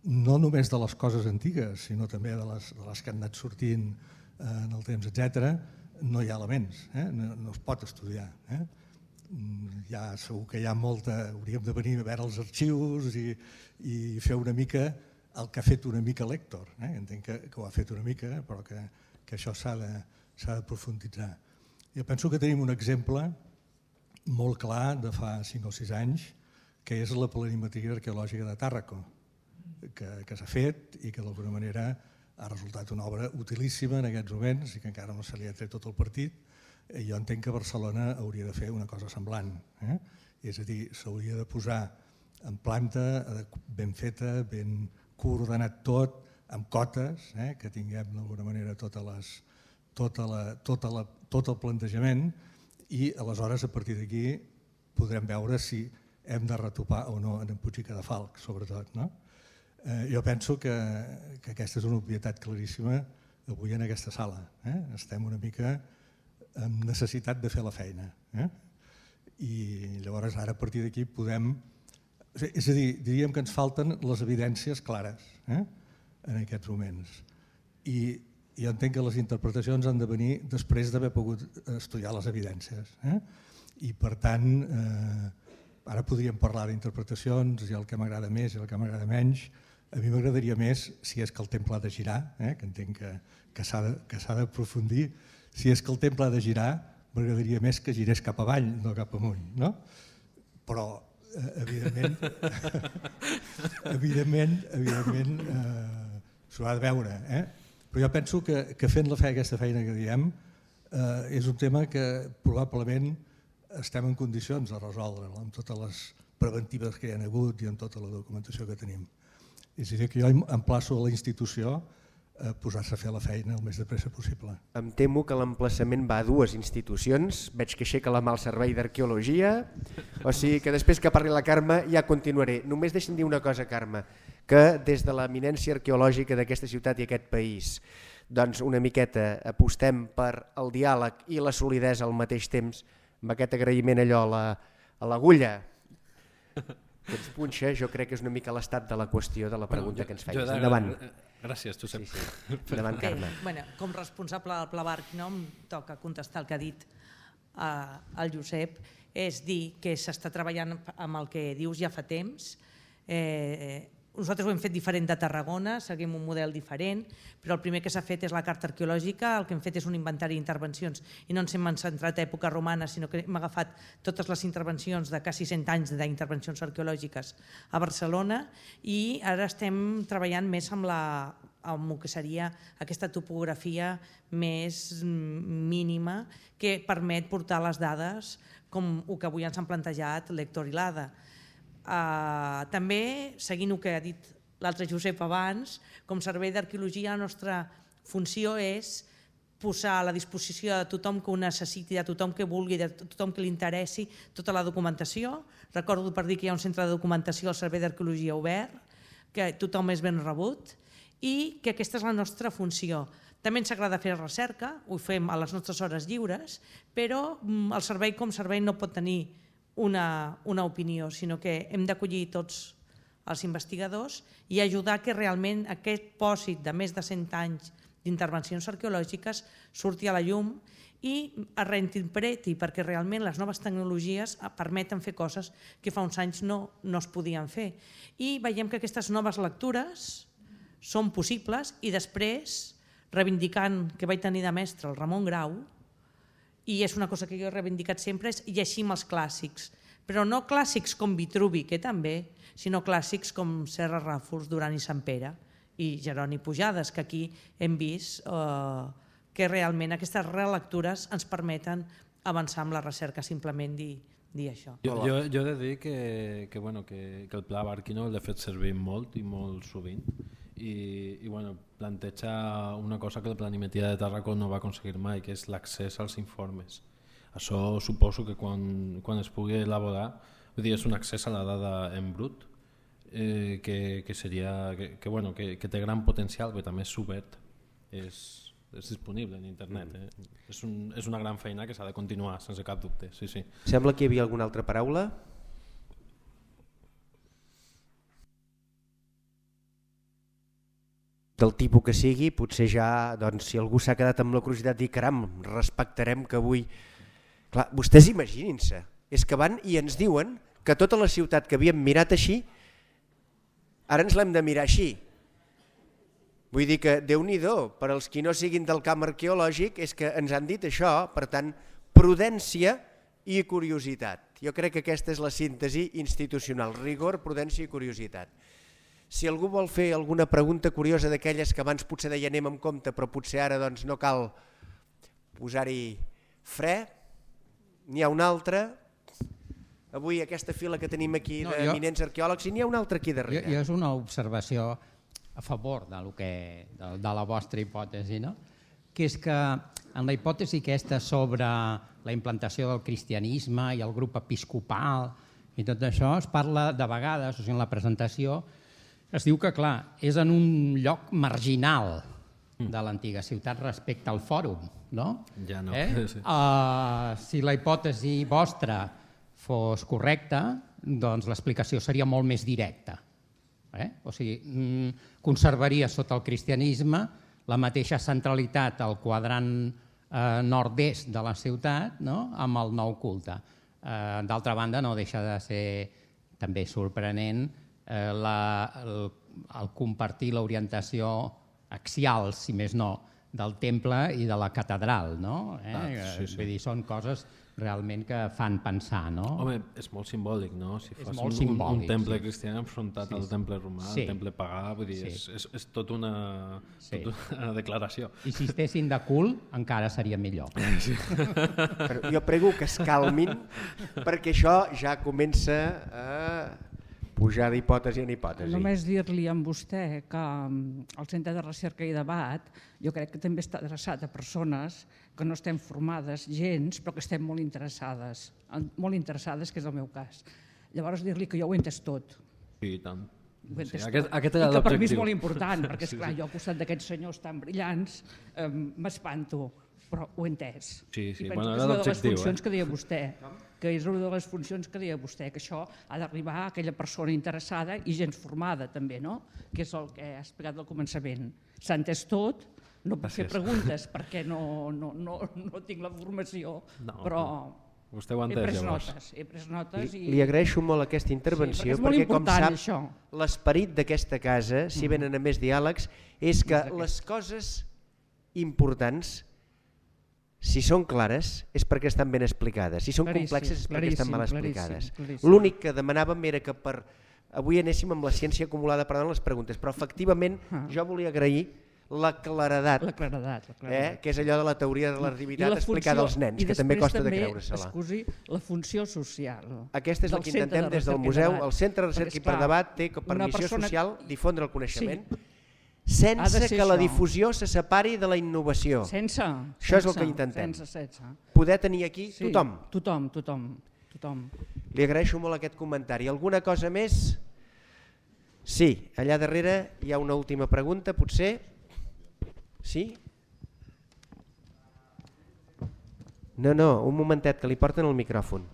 no només de les coses antigues, sinó també de les que han anat sortint en el temps, etc., no hi ha elements, no es pot estudiar. Segur que hi ha molta... Hauríem de venir a veure els arxius i fer una mica el que ha fet una mica l'Héctor. Entenc que ho ha fet una mica, però que això s'ha de profunditzar. Jo penso que tenim un exemple molt clar de fa 5 o 6 anys, que és la planimetria arqueològica de Tàrraco, que s'ha fet i que d'alguna manera ha resultat una obra utilíssima en aquests moments i que encara no se li ha tret tot el partit. Jo entenc que Barcelona hauria de fer una cosa semblant. És a dir, s'hauria de posar en planta ben feta, ben coordenat tot, amb cotes, que tinguem d'alguna manera tot el plantejament i aleshores a partir d'aquí podrem veure si hem de retopar o no en Puig i Cadafalch, sobretot. Jo penso que aquesta és una obvietat claríssima avui en aquesta sala. Estem una mica amb necessitat de fer la feina. I llavors ara a partir d'aquí podem... És a dir, diríem que ens falten les evidències clares en aquests moments. I jo entenc que les interpretacions han de venir després d'haver pogut estudiar les evidències. I per tant, ara podríem parlar d'interpretacions i el que m'agrada més i el que m'agrada menys. A mi m'agradaria més, si és que el temple ha de girar, que entenc que s'ha d'aprofundir, si és que el temple ha de girar, m'agradaria més que girés cap avall, no cap amunt. Però, evidentment, s'ho ha de veure. Però jo penso que fent aquesta feina que diem és un tema que probablement estem en condicions de resoldre'l amb totes les preventives que hi ha hagut i amb tota la documentació que tenim. És a dir, que jo emplaço a la institució a posar-se a fer la feina el més de pressa possible. Em temo que l'emplaçament va a dues institucions. Veig que aixeca la mà al Servei d'Arqueologia, o sigui que després que parli la Carme ja continuaré. Només deixa'm dir una cosa, Carme, que des de l'eminència arqueològica d'aquesta ciutat i aquest país, doncs una miqueta apostem per el diàleg i la solidesa al mateix temps, amb aquest agraïment allò a l'agulla que ens punxa. Jo crec que és una mica l'estat de la qüestió de la pregunta que ens feies. Endavant. Gràcies, Josep. Endavant, Carme. Com responsable del Pla Barquino em toca contestar el que ha dit el Josep, és dir que s'està treballant amb el que dius ja fa temps. Nosaltres ho hem fet diferent de Tarragona, seguim un model diferent, però el primer que s'ha fet és la carta arqueològica, el que hem fet és un inventari d'intervencions i no ens hem centrat a època romana, sinó que hem agafat totes les intervencions de quasi 100 anys d'intervencions arqueològiques a Barcelona i ara estem treballant més amb el que seria aquesta topografia més mínima que permet portar les dades com el que avui ens han plantejat l'Héctor i l'Ada. També, seguint el que ha dit l'altre Josep abans, com Servei d'Arqueologia la nostra funció és posar a la disposició de tothom que ho necessiti, de tothom que vulgui, de tothom que li interessi tota la documentació. Recordo per dir que hi ha un centre de documentació al Servei d'Arqueologia obert, que tothom és ben rebut i que aquesta és la nostra funció. També ens agrada fer recerca, ho fem a les nostres hores lliures, però el servei com servei no pot tenir una opinió, sinó que hem d'acollir tots els investigadors i ajudar que realment aquest pòsit de més de 100 anys d'intervencions arqueològiques surti a la llum i es reinterpreti, perquè realment les noves tecnologies permeten fer coses que fa uns anys no es podien fer. I veiem que aquestes noves lectures són possibles i després, reivindicant que vaig tenir de mestre el Ramon Grau, i és una cosa que jo he reivindicat sempre, és llegir els clàssics, però no clàssics com Vitruvi, que també, sinó clàssics com Serra Ràfols, Duran i Sant Pere i Jeroni Pujades, que aquí hem vist que realment aquestes relectures ens permeten avançar amb la recerca, simplement dir això. Jo he de dir que el Pla Barquino l'he fet servir molt i molt sovint i planteja una cosa que la planimetria de Tàrraco no va aconseguir mai, que és l'accés als informes. Això suposo que quan es pugui elaborar, és un accés a la dada en brut que té gran potencial, però també és obert, és disponible en internet. És una gran feina que s'ha de continuar, sense cap dubte. Sembla que hi havia alguna altra paraula? Del tipus que sigui, potser ja, si algú s'ha quedat amb la curiositat i caram, respectarem que avui... Clar, vostès imaginin-se, és que van i ens diuen que tota la ciutat que havíem mirat així, ara ens l'hem de mirar així. Vull dir que, Déu-n'hi-do, per als qui no siguin del camp arqueològic, és que ens han dit això, per tant, prudència i curiositat. Jo crec que aquesta és la síntesi institucional, rigor, prudència i curiositat. Si algú vol fer alguna pregunta curiosa d'aquelles que abans potser deia anem amb compte, però potser ara no cal posar-hi fre, n'hi ha una altra. Avui aquesta fila que tenim aquí d'eminents arqueòlegs, i n'hi ha una altra aquí darrere. Jo és una observació a favor de la vostra hipòtesi, que és que en la hipòtesi aquesta sobre la implantació del cristianisme i el grup episcopal i tot això, es parla de vegades, o sigui, en la presentació, es diu que, clar, és en un lloc marginal de l'antiga ciutat respecte al fòrum, no? Ja no. Sí. Si la hipòtesi vostra fos correcta, doncs l'explicació seria molt més directa. O sigui, conservaria sota el cristianisme la mateixa centralitat al quadrant nord-est de la ciutat, amb el nou culte. D'altra banda, no deixa de ser també sorprenent el compartir l'orientació axial, si més no, del temple i de la catedral. Vull dir, són coses realment que fan pensar. Home, és molt simbòlic, no? Si fos un temple cristià enfrontat al temple romà, al temple pagà, vull dir, és tot una declaració. I si estessin de cul, encara seria millor. Però jo prego que es calmin, perquè això ja comença a pujar d'hipòtesi en hipòtesi. Només dir-li a vostè que el Centre de Recerca i Debat jo crec que també està adreçat a persones que no estem formades gens, però que estem molt interessades, que és el meu cas. Llavors dir-li que jo ho he entès tot. Sí, i tant. Aquest era l'objectiu. I que per mi és molt important, perquè esclar, jo al costat d'aquests senyors tan brillants m'espanto, però ho he entès. Sí, I penso que és una de les funcions que deia vostè, que això ha d'arribar a aquella persona interessada i gens formada també, no? Que és el que ha explicat al començament. S'ha entès tot, no puc fer preguntes perquè no tinc la formació, però vostè ho ha entès, llavors. He pres notes. Li agraeixo molt aquesta intervenció, perquè com sap, l'esperit d'aquesta casa, si venen a més diàlegs, és que les coses importants, si són clares, és perquè estan ben explicades. Si són complexes, és perquè estan mal explicades. L'únic que demanàvem era que avui anéssim amb la ciència acumulada per les preguntes, però efectivament jo volia agrair la claredat, que és allò de la teoria de la relativitat explicada als nens, que també costa de creure-se-la. Excusi, la funció social. Aquesta és la que intentem des del museu. El Centre de Recerca i per Debat té per missió social difondre el coneixement sense que la difusió se separi de la innovació. Això és el que intentem. Poder tenir aquí tothom. Tothom. Li agraeixo molt aquest comentari. Alguna cosa més? Sí, allà darrere hi ha una última pregunta, potser. Sí? No, un momentet, que li porten el micròfon.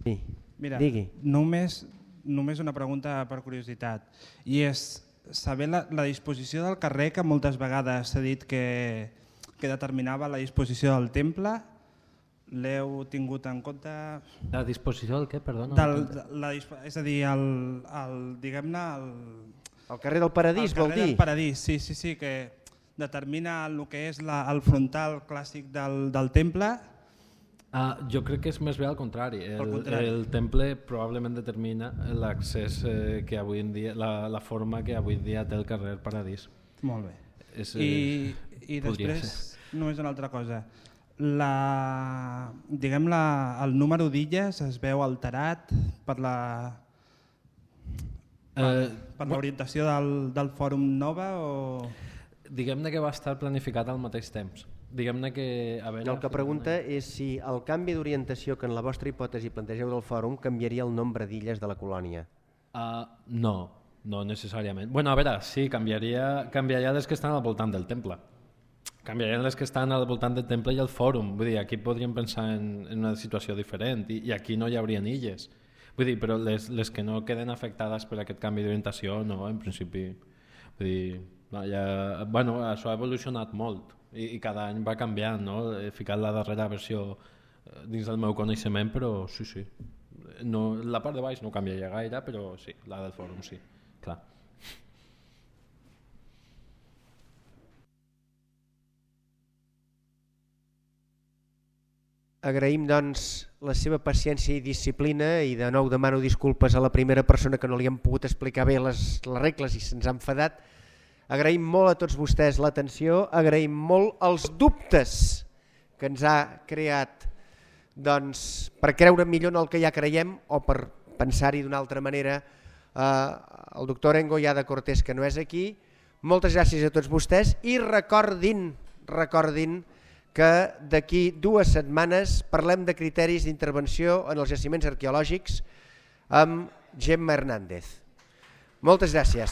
Sí, digui. Només una pregunta per curiositat, i és saber la disposició del carrer, que moltes vegades s'ha dit que determinava la disposició del temple. L'heu tingut en compte? La disposició del què, perdona? És a dir, diguem-ne... El carrer del Paradís, vol dir? El carrer del Paradís, sí, que determina el que és el frontal clàssic del temple. Jo crec que és més bé al contrari. El temple probablement determina l'accés que avui en dia, la forma que avui en dia té el carrer Paradís. Molt bé. I després, només una altra cosa. El número d'illes es veu alterat per l'orientació del Fòrum Nova o... Diguem-ne que va estar planificat al mateix temps. Diguem-ne que... El que pregunta és si el canvi d'orientació que en la vostra hipòtesi plantegeu del fòrum canviaria el nombre d'illes de la colònia. No necessàriament. Bueno, a veure, sí, canviaria les que estan al voltant del temple. Canviarien les que estan al voltant del temple i el fòrum. Vull dir, aquí podríem pensar en una situació diferent i aquí no hi haurien illes. Vull dir, però les que no queden afectades per aquest canvi d'orientació, no, en principi. Vull dir, això ha evolucionat molt i cada any va canviant, no? He ficat la darrera versió dins del meu coneixement, però sí. La part de baix no canviaria gaire, però sí, la del fòrum sí, clar. Agraïm, doncs, la seva paciència i disciplina i de nou demano disculpes a la primera persona que no li hem pogut explicar bé les regles i se'ns ha enfadat. Agraïm molt a tots vostès l'atenció, agraïm molt els dubtes que ens ha creat per creure millor en el que ja creiem o per pensar-hi d'una altra manera. El doctor Engo Llada Cortés, que no és aquí, Moltes gràcies a tots vostès i recordin que d'aquí 2 setmanes parlem de criteris d'intervenció en els jaciments arqueològics amb Gemma Hernández. Moltes gràcies.